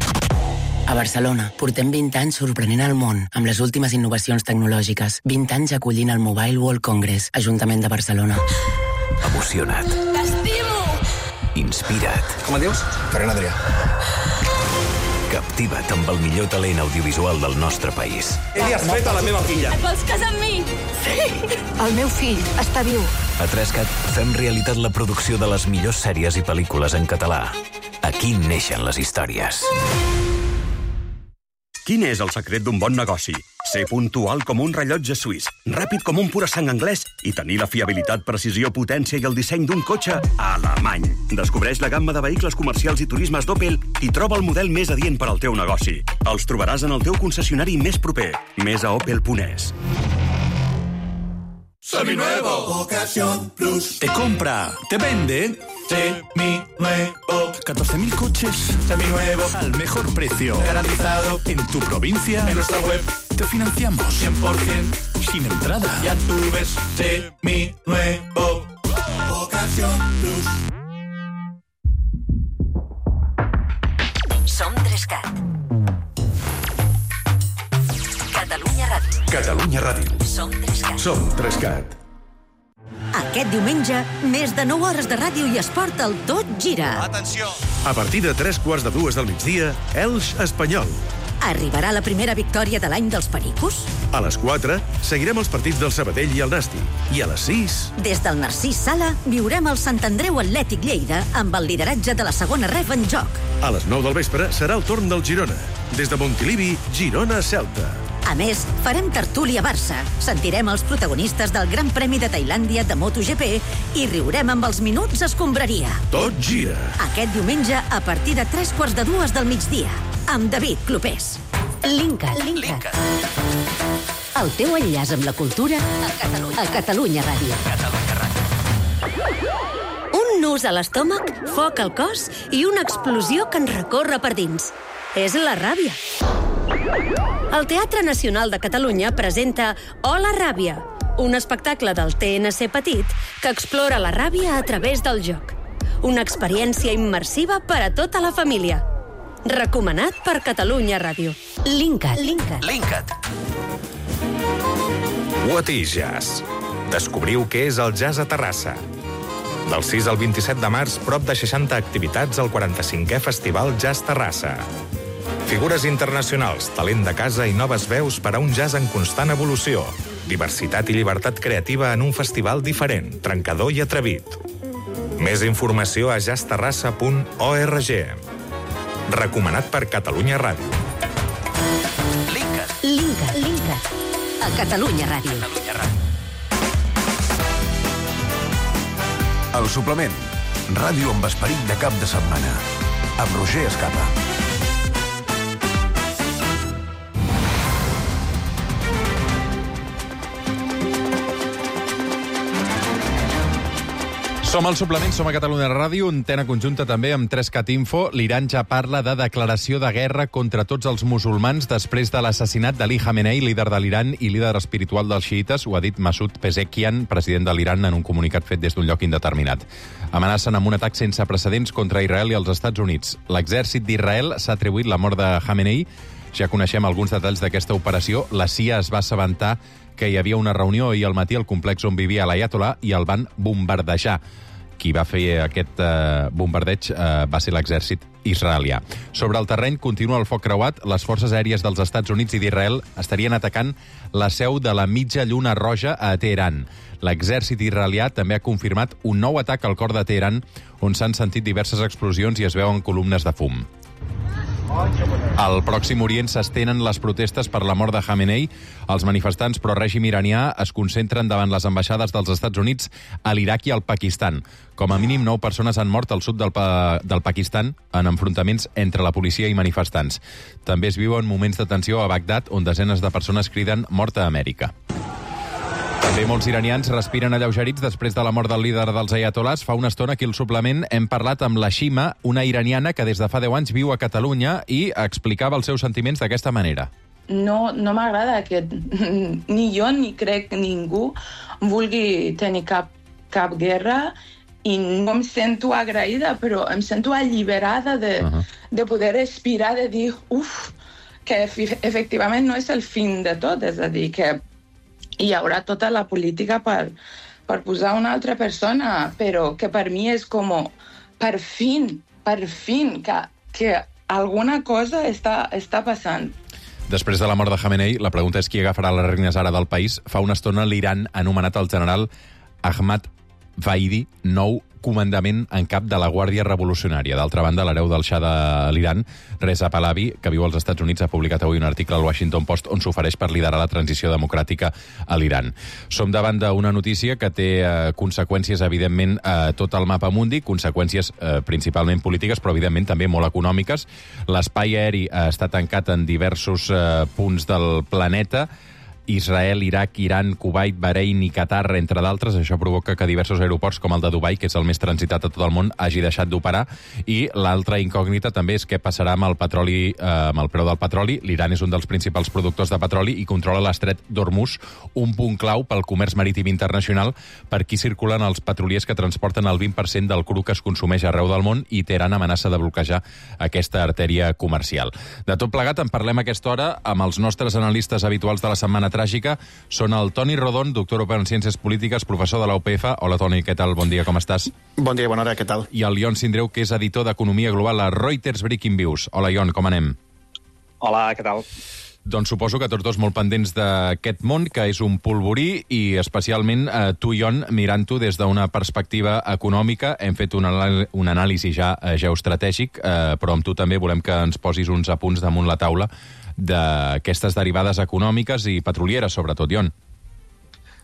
A Barcelona, portem vint anys sorprenent el món amb les últimes innovacions tecnològiques. vint anys acollint el Mobile World Congress, Ajuntament de Barcelona. Emocionat. T'estimo! Inspira't. Com et dius? Ferran Adrià. Captiva't amb el millor talent audiovisual del nostre país. Ell has fet a la meva filla. Et vols casar amb mi? Sí! El meu fill està viu. A Trescat fem realitat la producció de les millors sèries i pel·lícules en català. Aquí neixen les històries. Quin és el secret d'un bon negoci? Ser puntual com un rellotge suís, ràpid com un pura sang anglès i tenir la fiabilitat, precisió, potència i el disseny d'un cotxe alemany. Descobreix la gamma de vehicles comercials i turismes d'Opel i troba el model més adient per al teu negoci. Els trobaràs en el teu concessionari més proper. Més a opel punt es. Seminuevo. Ocasión Plus. Te compra, te vende. Seminuevo. catorce mil coches Seminuevos. al mejor precio. Garantizado. En tu provincia. En nuestra web. Te financiamos. cien por ciento. Sin entrada. Ya tú ves. Seminuevo. Ocasión Plus. Som Trescat. Catalunya Ràdio. Catalunya Ràdio. Som Trescat. Som Trescat. Aquest diumenge, més de nou hores de ràdio i esport al Tot Gira. Atenció! A partir de tres quarts de dues del migdia, Elx Espanyol. Arribarà la primera victòria de l'any dels Pericos? A les quatre, seguirem els partits del Sabadell i el Nasti. I a les sis... Des del Narcís Sala, viurem el Sant Andreu Atlètic Lleida amb el lideratge de la segona ref en joc. A les nou del vespre serà el torn del Girona. Des de Montilivi, Girona-Celta. A més, farem tertúlia Barça, sentirem els protagonistes del Gran Premi de Tailàndia de MotoGP i riurem amb els minuts escombraria. Tot gira. Aquest diumenge, a partir de tres quarts de dues del migdia, amb David Clopés. Linkat. Linkat. El teu enllaç amb la cultura a Catalunya, a Catalunya Ràdio. Catalunya Ràdio. Un nus a l'estómac, foc al cos i una explosió que ens recorre per dins. És la ràbia. El Teatre Nacional de Catalunya presenta Hola Ràbia, un espectacle del T N C Petit que explora la ràbia a través del joc. Una experiència immersiva per a tota la família. Recomanat per Catalunya Ràdio. Linkat. Linkat. Linkat. What is Jazz? Descobriu què és el jazz a Terrassa. Del sis al vint-i-set de març, prop de seixanta activitats al quaranta-cinquè Festival Jazz Terrassa. Figures internacionals, talent de casa i noves veus per a un jazz en constant evolució. Diversitat i llibertat creativa en un festival diferent, trencador i atrevit. Més informació a jazz terrassa punt org. Recomanat per Catalunya Ràdio. Linkat. Linkat. Linkat. A Catalunya Ràdio. Catalunya Ràdio. El suplement. Ràdio amb esperit de cap de setmana. Amb Roger Escapa. Som al suplement, som a Catalunya Ràdio, antena conjunta també amb Trescat Info. L'Iran ja parla de declaració de guerra contra tots els musulmans després de l'assassinat d'Ali Khamenei, líder de l'Iran i líder espiritual dels xiites. Ho ha dit Masoud Pezeshkian, president de l'Iran, en un comunicat fet des d'un lloc indeterminat. Amenacen amb un atac sense precedents contra Israel i els Estats Units. L'exèrcit d'Israel s'ha atribuït la mort de Khamenei. Ja coneixem alguns detalls d'aquesta operació. La C I A es va assabentar que hi havia una reunió ahir al matí al complex on vivia l'Ayatollah i el van bombardejar. Qui va fer aquest eh, bombardeig eh, va ser l'exèrcit israelià. Sobre el terreny continua el foc creuat. Les forces aèries dels Estats Units i d'Israel estarien atacant la seu de la Mitja Lluna Roja a Teheran. L'exèrcit israelià també ha confirmat un nou atac al cor de Teheran, on s'han sentit diverses explosions i es veuen columnes de fum. Al Pròxim Orient s'estenen les protestes per la mort de Khamenei. Els manifestants pro-règim iranià es concentren davant les ambaixades dels Estats Units a l'Iraq i al Pakistan. Com a mínim nou persones han mort al sud del, pa del Pakistan en enfrontaments entre la policia i manifestants. També es viuen moments de tensió a Bagdad, on desenes de persones criden mort a Amèrica. També molts iranians respiren alleugerits després de la mort del líder dels ayatollahs. Fa una estona aquí al suplement hem parlat amb la Shima, una iraniana que des de fa deu anys viu a Catalunya i explicava els seus sentiments d'aquesta manera. No, no m'agrada que ni jo ni crec ningú vulgui tenir cap, cap guerra i no em sento agraïda, però em sento alliberada de, uh-huh. de poder respirar, de dir, uf, que efectivament no és el fin de tot, és a dir, que hi haurà tota la política per, per posar una altra persona, però que per mi és com, per fin, per fin, que, que alguna cosa està, està passant. Després de la mort de Khamenei, la pregunta és qui agafarà les regnes ara del país. Fa una estona l'Iran ha anomenat el general Ahmad Vaidi nou comandament en cap de la Guàrdia Revolucionària. D'altra banda, l'hereu del Shah de l'Iran, Reza Pahlavi, que viu als Estats Units, ha publicat avui un article al Washington Post on s'ofereix per liderar la transició democràtica a l'Iran. Som davant d'una notícia que té eh, conseqüències, evidentment, a tot el mapa mundi, conseqüències eh, principalment polítiques, però, evidentment, també molt econòmiques. L'espai aeri està tancat en diversos eh, punts del planeta. Israel, Iraq, Iran, Kuwait, Bahrein i Qatar, entre d'altres. Això provoca que diversos aeroports, com el de Dubai, que és el més transitat a tot el món, hagi deixat d'operar. I l'altra incògnita també és què passarà amb el petroli, eh, amb el preu del petroli. L'Iran és un dels principals productors de petroli i controla l'estret d'Hormuz, un punt clau pel comerç marítim internacional, per aquí circulen els petroliers que transporten el vint per cent del cru que es consumeix arreu del món, i Teheran amenaça de bloquejar aquesta artèria comercial. De tot plegat en parlem a aquesta hora amb els nostres analistes habituals de la Setmana Tràgica. Són el Toni Rodon, doctor europeu en Ciències Polítiques, professor de la U P F. Hola, Toni, què tal? Bon dia, com estàs? Bon dia, bona hora, què tal? I el Ion Sindreu, que és editor d'Economia Global a Reuters Breaking Views. Hola, Ion, com anem? Hola, què tal? Doncs suposo que tots dos molt pendents d'aquest món, que és un polvorí, i especialment eh, tu, Ion, mirant-ho des d'una perspectiva econòmica. Hem fet un, un anàlisi ja eh, geoestratègic, eh, però amb tu també volem que ens posis uns apunts damunt la taula d'aquestes derivades econòmiques i petrolieres, sobretot, Ion.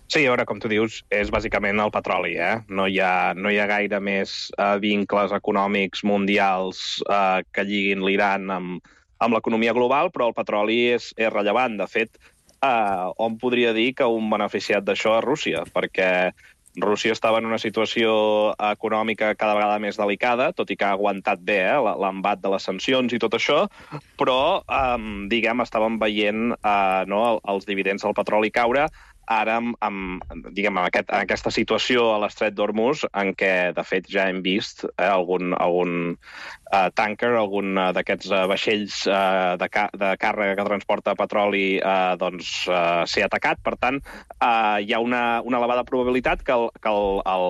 Sí, a veure, com tu dius, és bàsicament el petroli, eh? No hi ha, no hi ha gaire més eh, vincles econòmics mundials eh, que lliguin l'Iran amb amb l'economia global, però el petroli és, és rellevant. De fet, eh, hom podria dir que un beneficiat d'això és Rússia, perquè Rússia estava en una situació econòmica cada vegada més delicada, tot i que ha aguantat bé eh, l'embat de les sancions i tot això, però, eh, diguem, estàvem veient eh, no, els dividends del petroli caure, ara amb, amb, diguem, en, aquest, en aquesta situació a l'estret d'Hormuz, en què, de fet, ja hem vist eh, algun, algun eh, tanker, algun uh, d'aquests uh, vaixells uh, de, ca de càrrega que transporta petroli eh, doncs, uh, ser atacat. Per tant, uh, hi ha una, una elevada probabilitat que el, que el, el,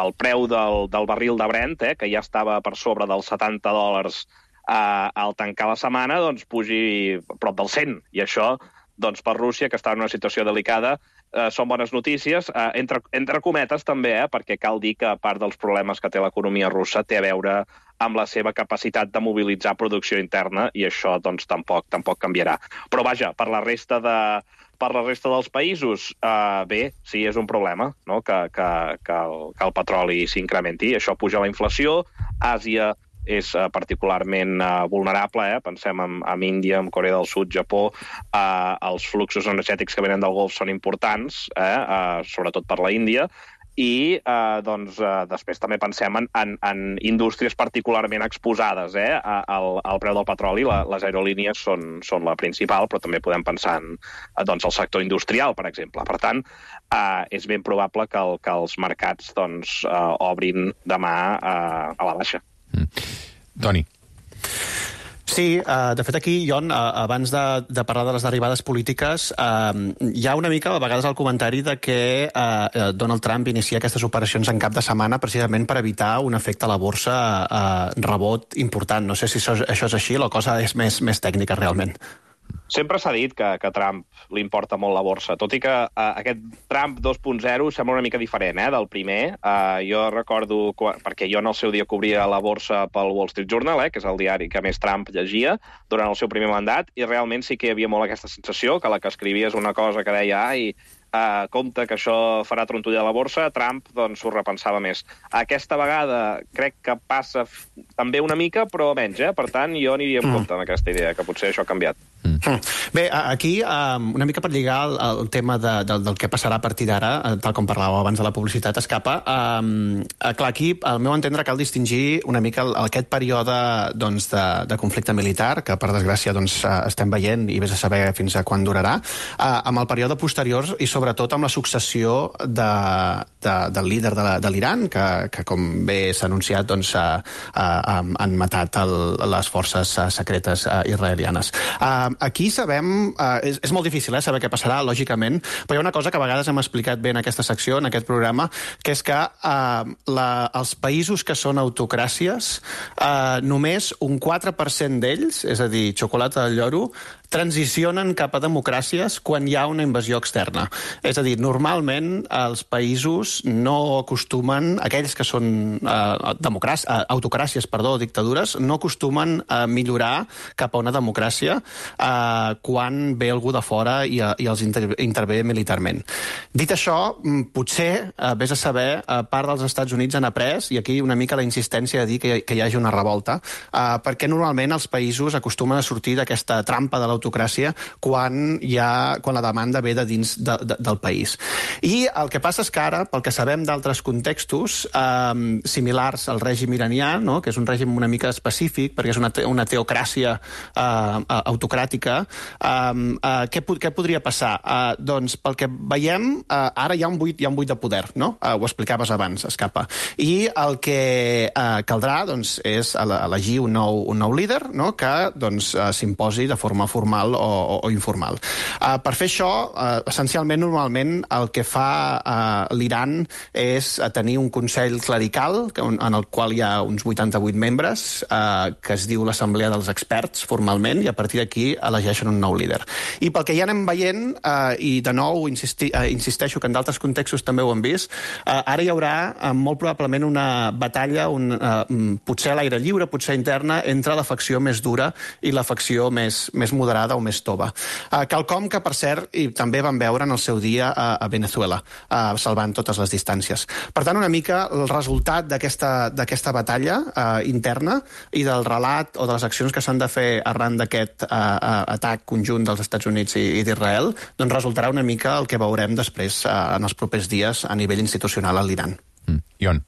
el preu del, del barril de Brent, eh, que ja estava per sobre dels setanta dòlars eh, al tancar la setmana, doncs pugi prop del cent. I això, doncs, per Rússia, que està en una situació delicada, eh, són bones notícies, eh, entre, entre cometes també, eh, perquè cal dir que part dels problemes que té l'economia russa té a veure amb la seva capacitat de mobilitzar producció interna, i això doncs, tampoc, tampoc canviarà. Però vaja, per la resta de, per la resta dels països, eh, bé, sí, és un problema, no? que, que, que, el, que el petroli s'incrementi. Això puja la inflació. Àsia és uh, particularment uh, vulnerable, eh? Pensem en, en Índia, en Corea del Sud, Japó. Uh, els fluxos energètics que venen del Golf són importants, eh? uh, sobretot per la Índia, i uh, doncs, uh, després també pensem en, en, en indústries particularment exposades eh? al, al preu del petroli. La, les aerolínies són, són la principal, però també podem pensar en uh, doncs, el sector industrial, per exemple. Per tant, uh, és ben probable que, el, que els mercats doncs, uh, obrin demà uh, a la baixa. Mm. Toni. Sí, uh, de fet aquí, Ion, uh, abans de, de parlar de les derivades polítiques, uh, hi ha una mica, a vegades, el comentari de que uh, Donald Trump inicia aquestes operacions en cap de setmana precisament per evitar un efecte a la borsa uh, rebot important. No sé si això, això és així, la cosa és més, més tècnica realment. Sempre s'ha dit que, que a Trump li importa molt la borsa, tot i que uh, aquest Trump dos punt zero sembla una mica diferent eh, del primer. Uh, jo recordo, perquè jo en el seu dia cobria la borsa pel Wall Street Journal, eh, que és el diari que més Trump llegia durant el seu primer mandat, i realment sí que hi havia molt aquesta sensació que la que escrivies una cosa que deia ai, uh, compte que això farà trontollar la borsa, Trump doncs s'ho repensava més. Aquesta vegada crec que passa també una mica, però menys, eh? Per tant, jo aniria en compte amb aquesta idea, que potser això ha canviat. Mm. Bé, aquí, una mica per lligar el, el tema de, del, del que passarà a partir d'ara, tal com parlàveu abans de la publicitat escapa, um, clar, aquí, al meu entendre, cal distingir una mica el, aquest període doncs, de, de conflicte militar, que per desgràcia doncs, estem veient i vés a saber fins a quan durarà, uh, amb el període posterior i sobretot amb la successió de, de, del líder de l'Iran, que, que com bé s'ha anunciat doncs, uh, uh, han matat el, les forces uh, secretes uh, israelianes. Uh, Aquí sabem, eh, és, és molt difícil eh, saber què passarà, lògicament, però hi ha una cosa que a vegades hem explicat bé en aquesta secció, en aquest programa, que és que eh, la, els països que són autocràcies, eh, només un quatre per cent d'ells, és a dir, xocolata del lloro, transicionen cap a democràcies quan hi ha una invasió externa. És a dir, normalment els països no acostumen, aquells que són eh, democràcies, eh, autocràcies, perdó, dictadures, no acostumen a millorar cap a una democràcia eh, quan ve algú de fora i, i els inter intervé militarment. Dit això, potser, eh, vés a saber, eh, part dels Estats Units han après, i aquí una mica la insistència de dir que, que hi hagi una revolta, eh, perquè normalment els països acostumen a sortir d'aquesta trampa de l'autoritari autocràcia quan, hi ha, quan la demanda ve de dins de, de, del país. I el que passa és que ara, pel que sabem d'altres contextos eh, similars al règim iranià, no? Que és un règim una mica específic, perquè és una, te una teocràcia eh, autocràtica, eh, eh, què, què podria passar? Eh, doncs, pel que veiem, eh, ara hi ha un buit, hi ha un buit de poder, no? Eh, ho explicaves abans, Escapa. I el que eh, caldrà doncs, és elegir un nou, un nou líder, no? Que doncs, eh, s'imposi de forma formal o, o, o informal. Eh, per fer això, eh, essencialment, normalment, el que fa eh, l'Iran és tenir un consell clerical en el qual hi ha uns vuitanta-vuit membres, eh, que es diu l'Assemblea dels Experts, formalment, i a partir d'aquí elegeixen un nou líder. I pel que ja anem veient, eh, i de nou insisti, eh, insisteixo que en d'altres contextos també ho hem vist, eh, ara hi haurà eh, molt probablement una batalla, un, eh, potser a l'aire lliure, potser interna, entre la facció més dura i la facció més, més moderada o més tova. Uh, quelcom que, per cert, i també vam veure en el seu dia a, a Venezuela, uh, salvant totes les distàncies. Per tant, una mica el resultat d'aquesta batalla uh, interna i del relat o de les accions que s'han de fer arran d'aquest uh, uh, atac conjunt dels Estats Units i, i d'Israel, doncs resultarà una mica el que veurem després uh, en els propers dies a nivell institucional a l'Iran. Mm. Ion.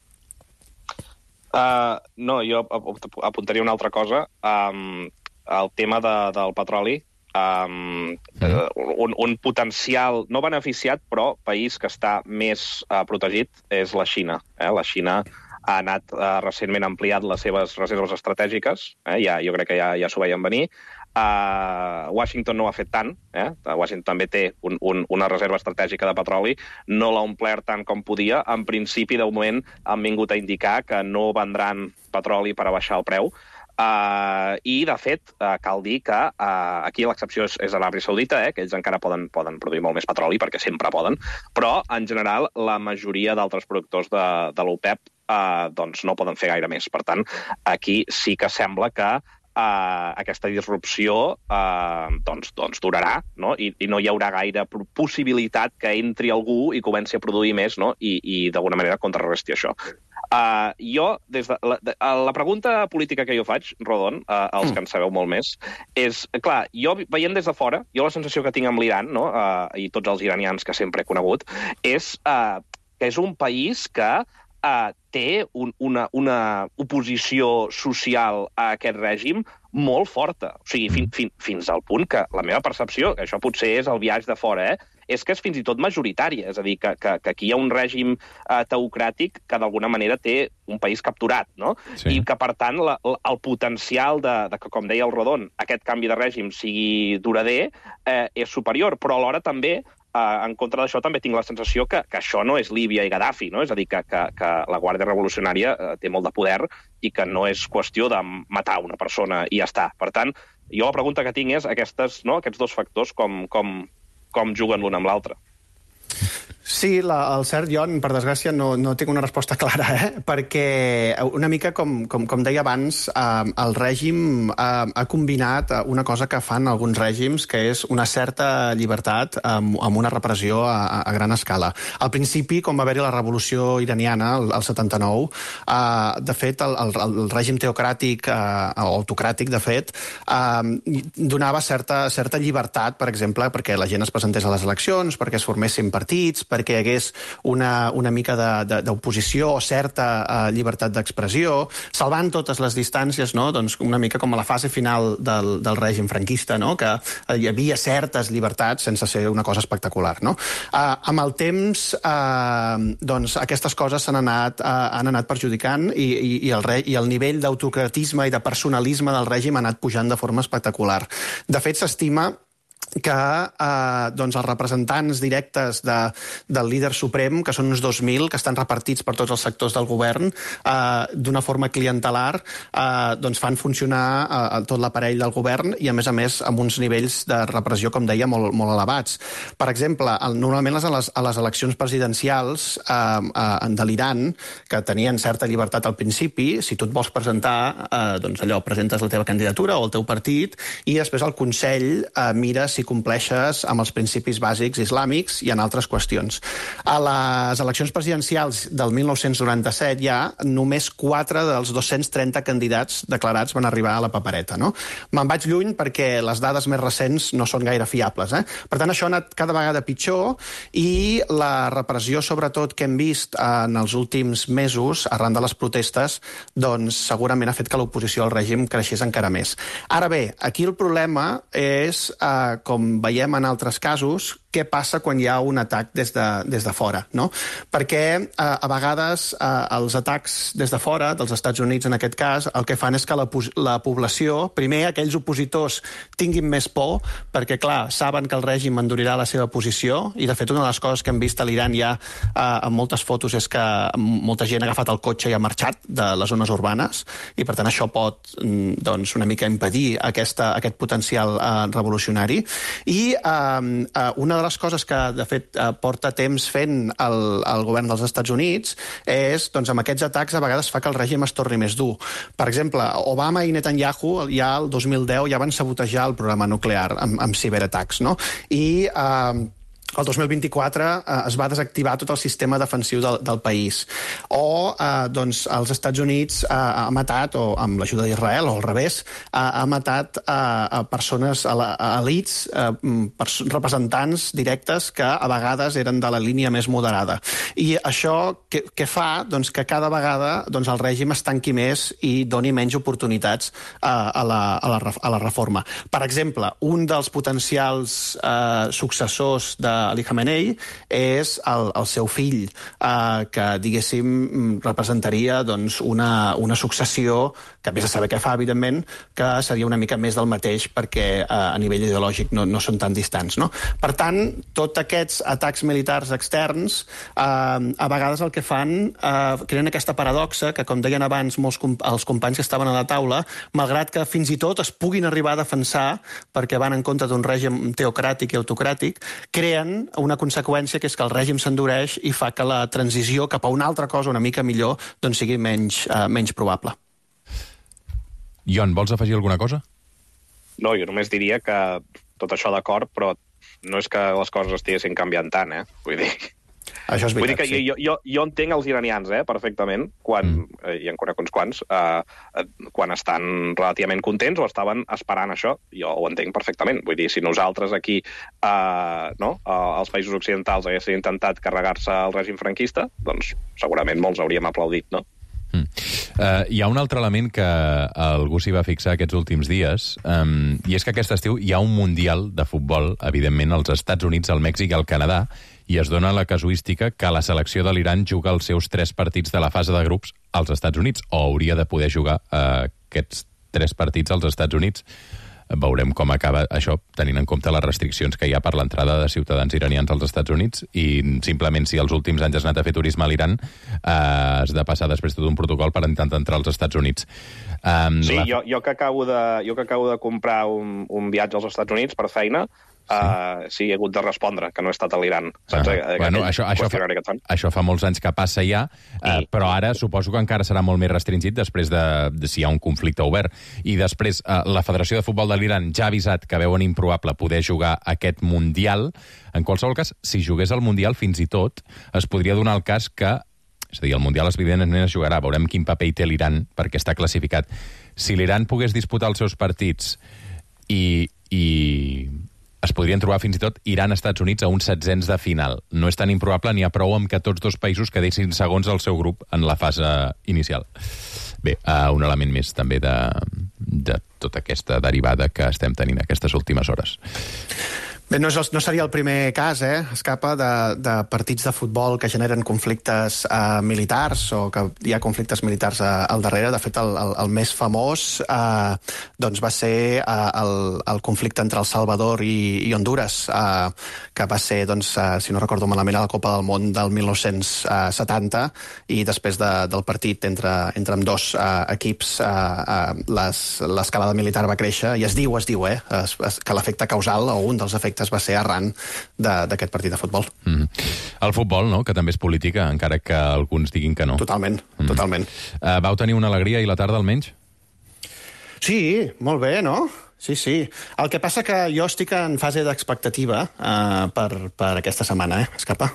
Uh, no, jo apuntaria una altra cosa. Um, el tema de, del petroli, um, mm. un, un potencial, no beneficiat, però país que està més uh, protegit és la Xina. Eh? La Xina ha anat uh, recentment ampliat les seves reserves estratègiques, eh? ja, jo crec que ja, ja s'ho veien venir. Uh, Washington no ho ha fet tant, eh? Washington també té un, un, una reserva estratègica de petroli, no l'ha omplert tant com podia. En principi, de moment, han vingut a indicar que no vendran petroli per a baixar el preu. Uh, I, de fet, uh, cal dir que uh, aquí l'excepció és, és l'Aràbia Saudita, eh, que ells encara poden, poden produir molt més petroli, perquè sempre poden, però, en general, la majoria d'altres productors de, de l'OPEP uh, doncs no poden fer gaire més. Per tant, aquí sí que sembla que Uh, aquesta disrupció uh, doncs, doncs durarà, no? I, i no hi haurà gaire possibilitat que entri algú i comenci a produir més, no? I, i d'alguna manera contrarresti això. Uh, jo, des de la, de, la pregunta política que jo faig, Rodon, uh, els que en sabeu molt més, és, clar, jo veient des de fora, jo la sensació que tinc amb l'Iran, no? uh, i tots els iranians que sempre he conegut, és uh, que és un país que Uh, té un, una, una oposició social a aquest règim molt forta. O sigui, fin, fin, fins al punt que la meva percepció, que això potser és el viatge de fora, eh, és que és fins i tot majoritària. És a dir, que, que, que aquí hi ha un règim uh, teocràtic que d'alguna manera té un país capturat, no? Sí. I que, per tant, la, el potencial de, de que, com deia el Rodon, aquest canvi de règim sigui durader eh, és superior, però alhora també Uh, en contra d'això també tinc la sensació que, que això no és Líbia i Gaddafi, no? És a dir, que, que, que la Guàrdia Revolucionària uh, té molt de poder i que no és qüestió de matar una persona i ja està. Per tant, jo la pregunta que tinc és aquestes, no? aquests dos factors com, com, com juguen l'un amb l'altre. Sí, la, el cert, jo, per desgràcia, no, no tinc una resposta clara, eh? Perquè una mica, com, com, com deia abans, eh, el règim eh, ha combinat una cosa que fan alguns règims, que és una certa llibertat amb, amb una repressió a, a gran escala. Al principi, com va haver-hi la revolució iraniana, el, el setanta-nou, eh, de fet, el, el, el règim teocràtic, eh, o autocràtic, de fet, eh, donava certa, certa llibertat, per exemple, perquè la gent es presentés a les eleccions, perquè es formessin partits, perquè hi hagués una, una mica d'oposició o certa uh, llibertat d'expressió, salvant totes les distàncies, no? Doncs una mica com a la fase final del, del règim franquista, no? Que hi havia certes llibertats sense ser una cosa espectacular, no? Uh, amb el temps, uh, doncs, aquestes coses s'han anat, uh, han anat perjudicant i, i, i, el re, i el nivell d'autocratisme i de personalisme del règim ha anat pujant de forma espectacular. De fet, s'estima que eh, doncs els representants directes de, del líder suprem, que són uns dos mil, que estan repartits per tots els sectors del govern, eh, d'una forma clientelar, eh, doncs fan funcionar eh, tot l'aparell del govern i, a més a més, amb uns nivells de repressió, com deia, molt, molt elevats. Per exemple, el, normalment a les, a les eleccions presidencials eh, eh, de l'Iran, que tenien certa llibertat al principi, si tu et vols presentar, eh, doncs allò, presentes la teva candidatura o el teu partit, i després el Consell eh, mira si compleixes amb els principis bàsics islàmics i en altres qüestions. A les eleccions presidencials del mil nou-cents noranta-set ja només quatre dels dos-cents trenta candidats declarats van arribar a la papereta, no? Me'n vaig lluny perquè les dades més recents no són gaire fiables, eh? Per tant, això ha anat cada vegada pitjor i la repressió, sobretot, que hem vist en els últims mesos, arran de les protestes, doncs segurament ha fet que l'oposició al règim creixés encara més. Ara bé, aquí el problema és, eh, com veiem en altres casos, què passa quan hi ha un atac des de, des de fora, no? Perquè eh, a vegades eh, els atacs des de fora, dels Estats Units en aquest cas, el que fan és que la, la població, primer aquells opositors tinguin més por, perquè clar, saben que el règim endurirà la seva posició, i de fet una de les coses que hem vist a l'Iran ja eh, en moltes fotos és que molta gent ha agafat el cotxe i ha marxat de les zones urbanes, i per tant això pot doncs, una mica impedir aquesta, aquest potencial eh, revolucionari. I eh, una de les coses que, de fet, porta temps fent el, el govern dels Estats Units és, doncs, amb aquests atacs a vegades fa que el règim es torni més dur. Per exemple, Obama i Netanyahu ja el dos mil deu ja van sabotejar el programa nuclear amb, amb ciberatacs, no? I eh, el dos mil vint-i-quatre eh, es va desactivar tot el sistema defensiu del, del país. O eh, doncs, els Estats Units eh, ha matat, o amb l'ajuda d'Israel, o al revés, eh, ha matat eh, a persones, a, la, a elits, eh, pers representants directes que a vegades eren de la línia més moderada. I això què, què fa? Doncs que cada vegada doncs, el règim es tanqui més i doni menys oportunitats eh, a, la, a, la, a la reforma. Per exemple, un dels potencials eh, successors de Ali Khamenei és el, el seu fill, eh, que, diguéssim, representaria doncs, una, una successió que, a més de saber què fa, evidentment, que seria una mica més del mateix perquè eh, a nivell ideològic no, no són tan distants, no? Per tant, tots aquests atacs militars externs eh, a vegades el que fan eh, creen aquesta paradoxa que, com deien abans molts comp els companys que estaven a la taula, malgrat que fins i tot es puguin arribar a defensar perquè van en contra d'un règim teocràtic i autocràtic, creen una conseqüència que és que el règim s'endureix i fa que la transició cap a una altra cosa una mica millor doncs sigui menys, eh, menys probable. Ion, vols afegir alguna cosa? No, jo només diria que tot això d'acord, però no és que les coses estiguessin canviant tant, eh? Vull dir... Això és veritat, Vull dir que sí. jo, jo, jo entenc els iranians, eh, perfectament, quan, mm. eh, i en conec uns quants, eh, quan estan relativament contents o estaven esperant això. Jo ho entenc perfectament. Vull dir, si nosaltres aquí, eh, no, als països occidentals haguessin intentat carregar-se el règim franquista, doncs segurament molts hauríem aplaudit, no? Mm. Uh, hi ha un altre element que algú s'hi va fixar aquests últims dies, um, i és que aquest estiu hi ha un mundial de futbol, evidentment, als Estats Units, al Mèxic i al Canadà, i es dona la casuística que la selecció de l'Iran juga els seus tres partits de la fase de grups als Estats Units, o hauria de poder jugar uh, aquests tres partits als Estats Units. Veurem com acaba això, tenint en compte les restriccions que hi ha per l'entrada de ciutadans iranians als Estats Units, i simplement si els últims anys has anat a fer turisme a l'Iran, eh, has de passar després tot un protocol per intentar entrar als Estats Units. Um, sí, la... jo, jo, que acabo de, jo que acabo de comprar un, un viatge als Estats Units per feina, sí. Uh, sí, he hagut de respondre, que no he estat a l'Iran. Ah, bueno, això, això, fa, això fa molts anys que passa ja, uh, però ara suposo que encara serà molt més restringit després de, de si hi ha un conflicte obert. I després, uh, la Federació de Futbol de l'Iran ja ha avisat que veuen improbable poder jugar aquest Mundial. En qualsevol cas, si jugués al Mundial, fins i tot, es podria donar el cas que, és a dir, el Mundial evidentment es jugarà, veurem quin paper hi té l'Iran, perquè està classificat. Si l'Iran pogués disputar els seus partits i... i es podrien trobar fins i tot Iran-Estats Units a uns setzents de final. No és tan improbable, n'hi ha prou amb que tots dos països quedessin segons el seu grup en la fase inicial. Bé, uh, un element més també de, de tota aquesta derivada que estem tenint aquestes últimes hores. Bé, no, és el, no seria el primer cas, eh? Escapa de, de partits de futbol que generen conflictes eh, militars o que hi ha conflictes militars eh, al darrere. De fet, el, el, el més famós eh, doncs va ser eh, el, el conflicte entre El Salvador i, i Honduras, eh, que va ser, doncs, eh, si no recordo malament, a la Copa del Món del mil nou-cents setanta, i després de, del partit entre, entre ambdós eh, equips eh, eh, l'escalada militar va créixer, i es diu, es diu, eh, es, es, que l'efecte causal, o un dels efectes va ser arran d'aquest partit de futbol. Mm. El futbol, no?, que també és política, encara que alguns diguin que no. Totalment, mm. totalment. Uh, vau tenir una alegria i la tarda almenys? Sí, molt bé, no? Sí, sí. El que passa que jo estic en fase d'expectativa uh, per, per aquesta setmana, eh, Escapa.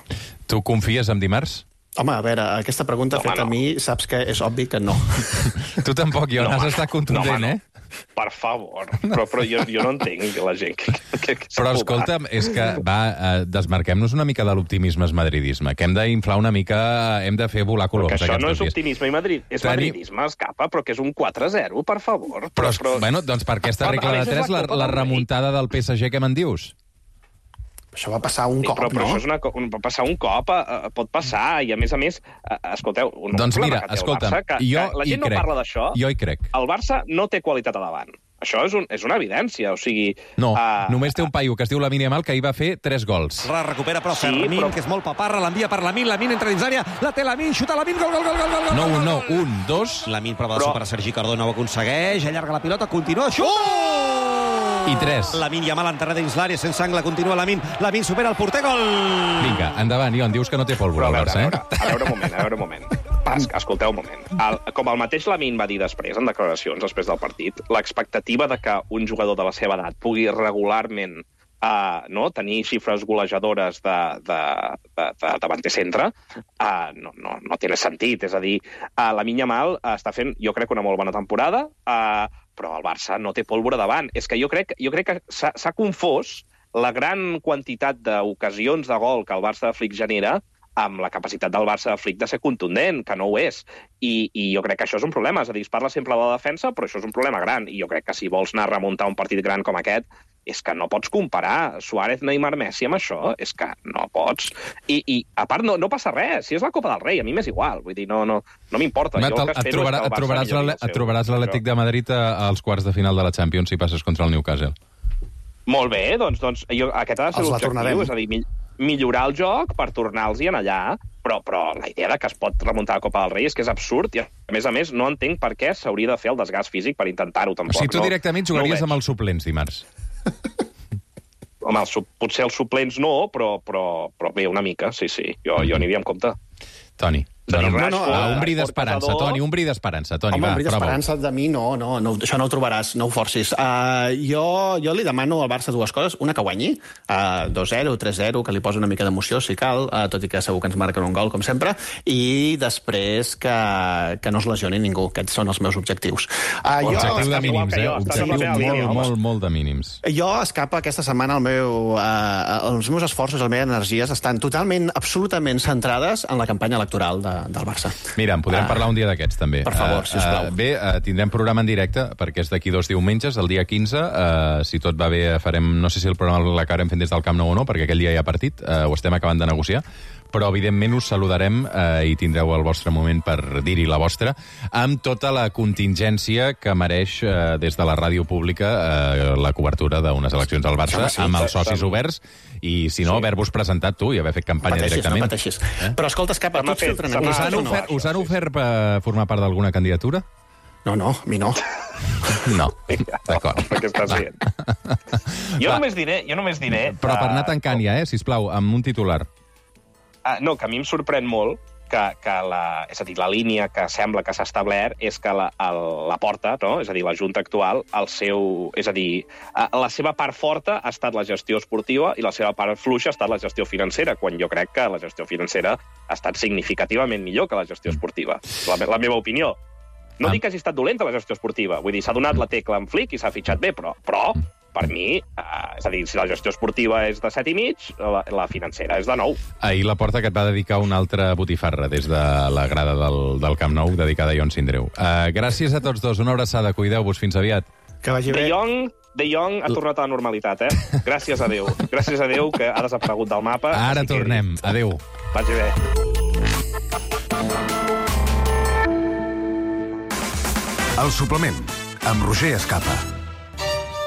Tu confies en dimarts? Home, a veure, aquesta pregunta no, feta no. a mi, saps que és obvi que no. Tu tampoc, jo, no, has estat contundent, no, eh? Per favor, però, però jo, jo no entenc la gent que... que, que però escolta'm, és que, va, eh, desmarquem-nos una mica de l'optimisme madridisme, que hem d'inflar una mica, hem de fer volar coloms. Perquè això no és optimisme i Madrid, és Teni... madridisme, Escapa, però que és un quatre a zero, per favor. Però, però, però... bueno, doncs per aquesta regla de tres, la, la remuntada del P S G, què me'n dius? Això va passar un sí, cop, però, però no? Això és una, un, va passar un cop, uh, pot passar, i a més a més, uh, escolteu... Un doncs mira, escolta'm, Barça, que, jo que la gent hi no crec. parla d'això. Jo hi crec. El Barça no té qualitat a davant. Això és, un, és una evidència, o sigui... No, uh, només té un paio que es diu Lamine Yamal, que ahir va fer tres gols. La recupera, però sí, Fermín, però... que és molt paparra, l'envia per Lamine, Lamine entra dins l'àrea, la té Lamine, xuta Lamine, gol, gol, gol, gol, gol, No, gol, un, gol, no, gol. un, dos... Lamine prova de però... superar Sergi Cardona, ho aconsegueix, allarga la pilota, continua, xuta! Oh! I tres. Lamine Yamal enterrada dins l'àrea, sense angle, continua Lamine, Lamine supera el porter, gol! Vinga, endavant, Ion, dius que no té pólvora al Barça, eh? A veure, a veure un moment, a veure un moment. Es, escolteu un moment. El, com el mateix Lamine va dir després, en declaracions després del partit, l'expectativa de que un jugador de la seva edat pugui regularment uh, no, tenir xifres golejadores de, de, de, de davanter centre uh, no, no, no té sentit. És a dir, uh, Lamine Yamal uh, està fent, jo crec, una molt bona temporada, uh, però el Barça no té pólvora davant. És que jo crec, jo crec que s'ha confós la gran quantitat d'ocasions de gol que el Barça de Flick genera amb la capacitat del Barça de Flick de ser contundent, que no ho és. I, i jo crec que això és un problema. És a dir, es parla sempre de la defensa, però això és un problema gran. I jo crec que si vols anar a remuntar un partit gran com aquest, és que no pots comparar Suárez, Neymar, Messi amb això. És que no pots. I, i a part, no, no passa res. Si és la Copa del Rei, a mi m'és igual. Vull dir, no, no, no m'importa. Et, et, trobarà, et trobaràs et trobaràs l'Atlètic de Madrid als quarts de final de la Champions si passes contra el Newcastle. Molt bé, doncs, doncs jo, aquest ha de ser l'objectiu. És a dir, millorar el joc per tornar-los-hi en allà, però, però la idea de que es pot remuntar la Copa del Rei és que és absurd, i a més a més no entenc per què s'hauria de fer el desgast físic per intentar-ho, tampoc. O sigui, tu no, directament jugaries no amb els suplents dimarts. Home, els, potser els suplents no, però, però, però bé, una mica, sí, sí, jo, jo aniria amb compte. Toni. No, no, no, un bri d'esperança, Toni, un bri d'esperança, Toni, Home, va, un bri d'esperança de mi no, no, no, això no ho trobaràs, no ho forcis. Uh, jo, jo li demano al Barça dues coses, una que guanyi, uh, dos zero, tres zero, que li posi una mica d'emoció, si cal, uh, tot i que segur que ens marquen un gol, com sempre, i després que, que no es lesioni ningú. Aquests són els meus objectius. Uh, objectiu jo, de mínims, eh? Objectiu molt, molt, molt de mínims. Jo, Escapa, aquesta setmana el meu, uh, els meus esforços, les meves energies estan totalment, absolutament centrades en la campanya electoral de, del Barça. Mira, en podrem uh, parlar un dia d'aquests, també. Per favor, sisplau. Uh, bé, uh, tindrem programa en directe, perquè és d'aquí dos diumenges, el dia quinze. Uh, si tot va bé, farem... No sé si el programa l'acabarem fent des del Camp Nou o no, perquè aquell dia hi ha partit, uh, ho estem acabant de negociar, però evidentment us saludarem uh, i tindreu el vostre moment per dir-hi la vostra, amb tota la contingència que mereix uh, des de la ràdio pública uh, la cobertura d'unes eleccions al Barça, sí, amb els socis oberts, i si no, sí. haver-vos presentat tu i haver fet campanya pateixis, directament. No pateixis, eh? Però escolta, Escapa, tu ets filtren us han ofert, us han ofert per formar part d'alguna candidatura? No, no, a mi no. No, d'acord. Què estàs dient? Jo només diré... Jo només diré Però per anar tancant ja, eh, sisplau, amb un titular. Uh, no, que a mi em sorprèn molt que, que la, és a dir, la línia que sembla que s'ha establert és que la, el, la porta, no? És a dir, la Junta actual, el seu, és a dir, uh, la seva part forta ha estat la gestió esportiva i la seva part fluixa ha estat la gestió financera, quan jo crec que la gestió financera ha estat significativament millor que la gestió esportiva. La, la meva opinió. No ah. dic que hagi estat dolenta la gestió esportiva, vull dir, s'ha donat la tecla en Flick i s'ha fitxat bé, però, però per mi, eh, és a dir, si la gestió esportiva és de set i mig, la, la financera és de nou. Ahir la Porta que et va dedicar una altra botifarra des de la grada del, del Camp Nou, dedicada a Ion Sindreu. Uh, gràcies a tots dos, una abraçada, cuideu-vos, fins aviat. Que vagi bé. De Jong, De Jong ha tornat a la normalitat, eh? Gràcies a Déu. Gràcies a Déu que ha desaparegut del mapa. Ara tornem. Que... Adéu. Vagi bé. El suplement, amb Roger Escapa.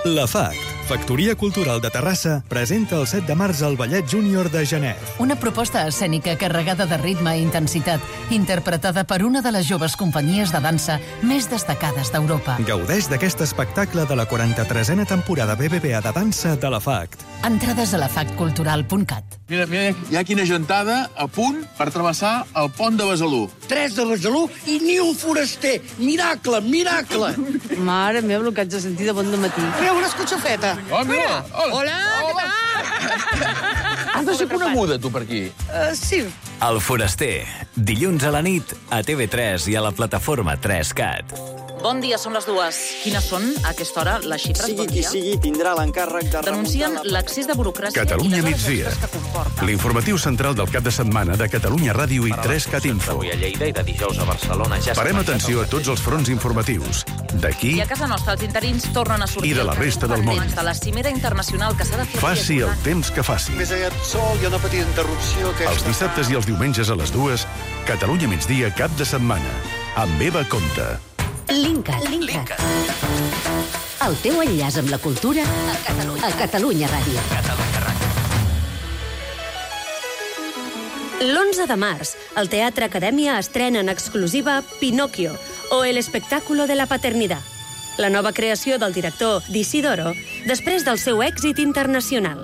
La F A C, Factoria Cultural de Terrassa, presenta el set de març el Ballet Júnior de Genet. Una proposta escènica carregada de ritme i intensitat, interpretada per una de les joves companyies de dansa més destacades d'Europa. Gaudeix d'aquest espectacle de la quaranta-tresena temporada B B V A de dansa de la F A C. Entrades a la fac cultural punt cat. Mira, mira, hi ha quina gentada a punt per travessar el pont de Besalú. Tres de Besalú i ni un foraster. Miracle, miracle. Mare meva, el que haig de sentir de bon dematí. Mira, una escotxafeta. Oh, mira. Hola, què tal? Has de ser coneguda, tu, per aquí. Uh, sí. El Foraster, dilluns a la nit, a T V tres i a la plataforma tres cat. Bon dia, són les dues. Quines són, a aquesta hora, les xifres? Sigui bon qui dia? sigui, tindrà l'encàrrec de Denuncien l'accés de burocràcia Catalunya i les hores migdia. extres que comporta. L'informatiu central del cap de setmana de Catalunya Ràdio i tres cat Info. Avui a Lleida i de dijous a Barcelona ja... Parem atenció a tots els fronts informatius. D'aquí I a casa nostra els interins tornen a sortir I de la al carrer resta del món. pendents de la cimera internacional que s'ha de fer... faci el temps que faci. Més aviat sol, hi ha una petita interrupció. Que Els dissabtes i els diumenges a les dues, Catalunya migdia cap de setmana. Amb Eva Comte. Linkat. Linkat. El teu enllaç amb la cultura a Catalunya, a Catalunya Ràdio. Catalunya Ràdio. L'onze de març, el Teatre Acadèmia estrena en exclusiva Pinocchio, o El espectáculo de la paternidad, la nova creació del director d'Isidoro després del seu èxit internacional.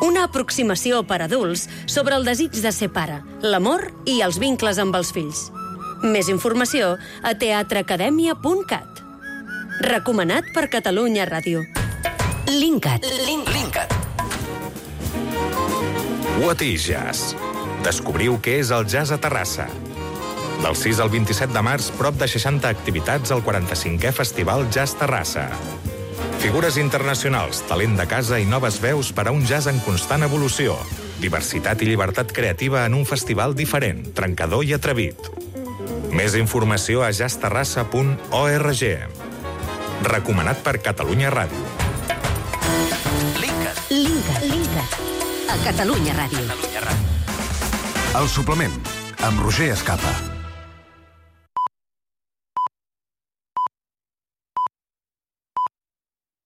Una aproximació per adults sobre el desig de ser pare, l'amor i els vincles amb els fills. Més informació a teatre acadèmia punt cat. Recomanat per Catalunya Ràdio. Linkat. Linkat. What is Jazz? Descobriu què és el jazz a Terrassa. Del sis al vint-i-set de març, prop de seixanta activitats al quaranta-cinquè Festival Jazz Terrassa. Figures internacionals, talent de casa i noves veus per a un jazz en constant evolució. Diversitat i llibertat creativa en un festival diferent, trencador i atrevit. Més informació a jazz terrassa punt org. Recomanat per Catalunya Ràdio. Linkat. Linkat. Linkat. A Catalunya Ràdio. El suplement, amb Roger Escapa.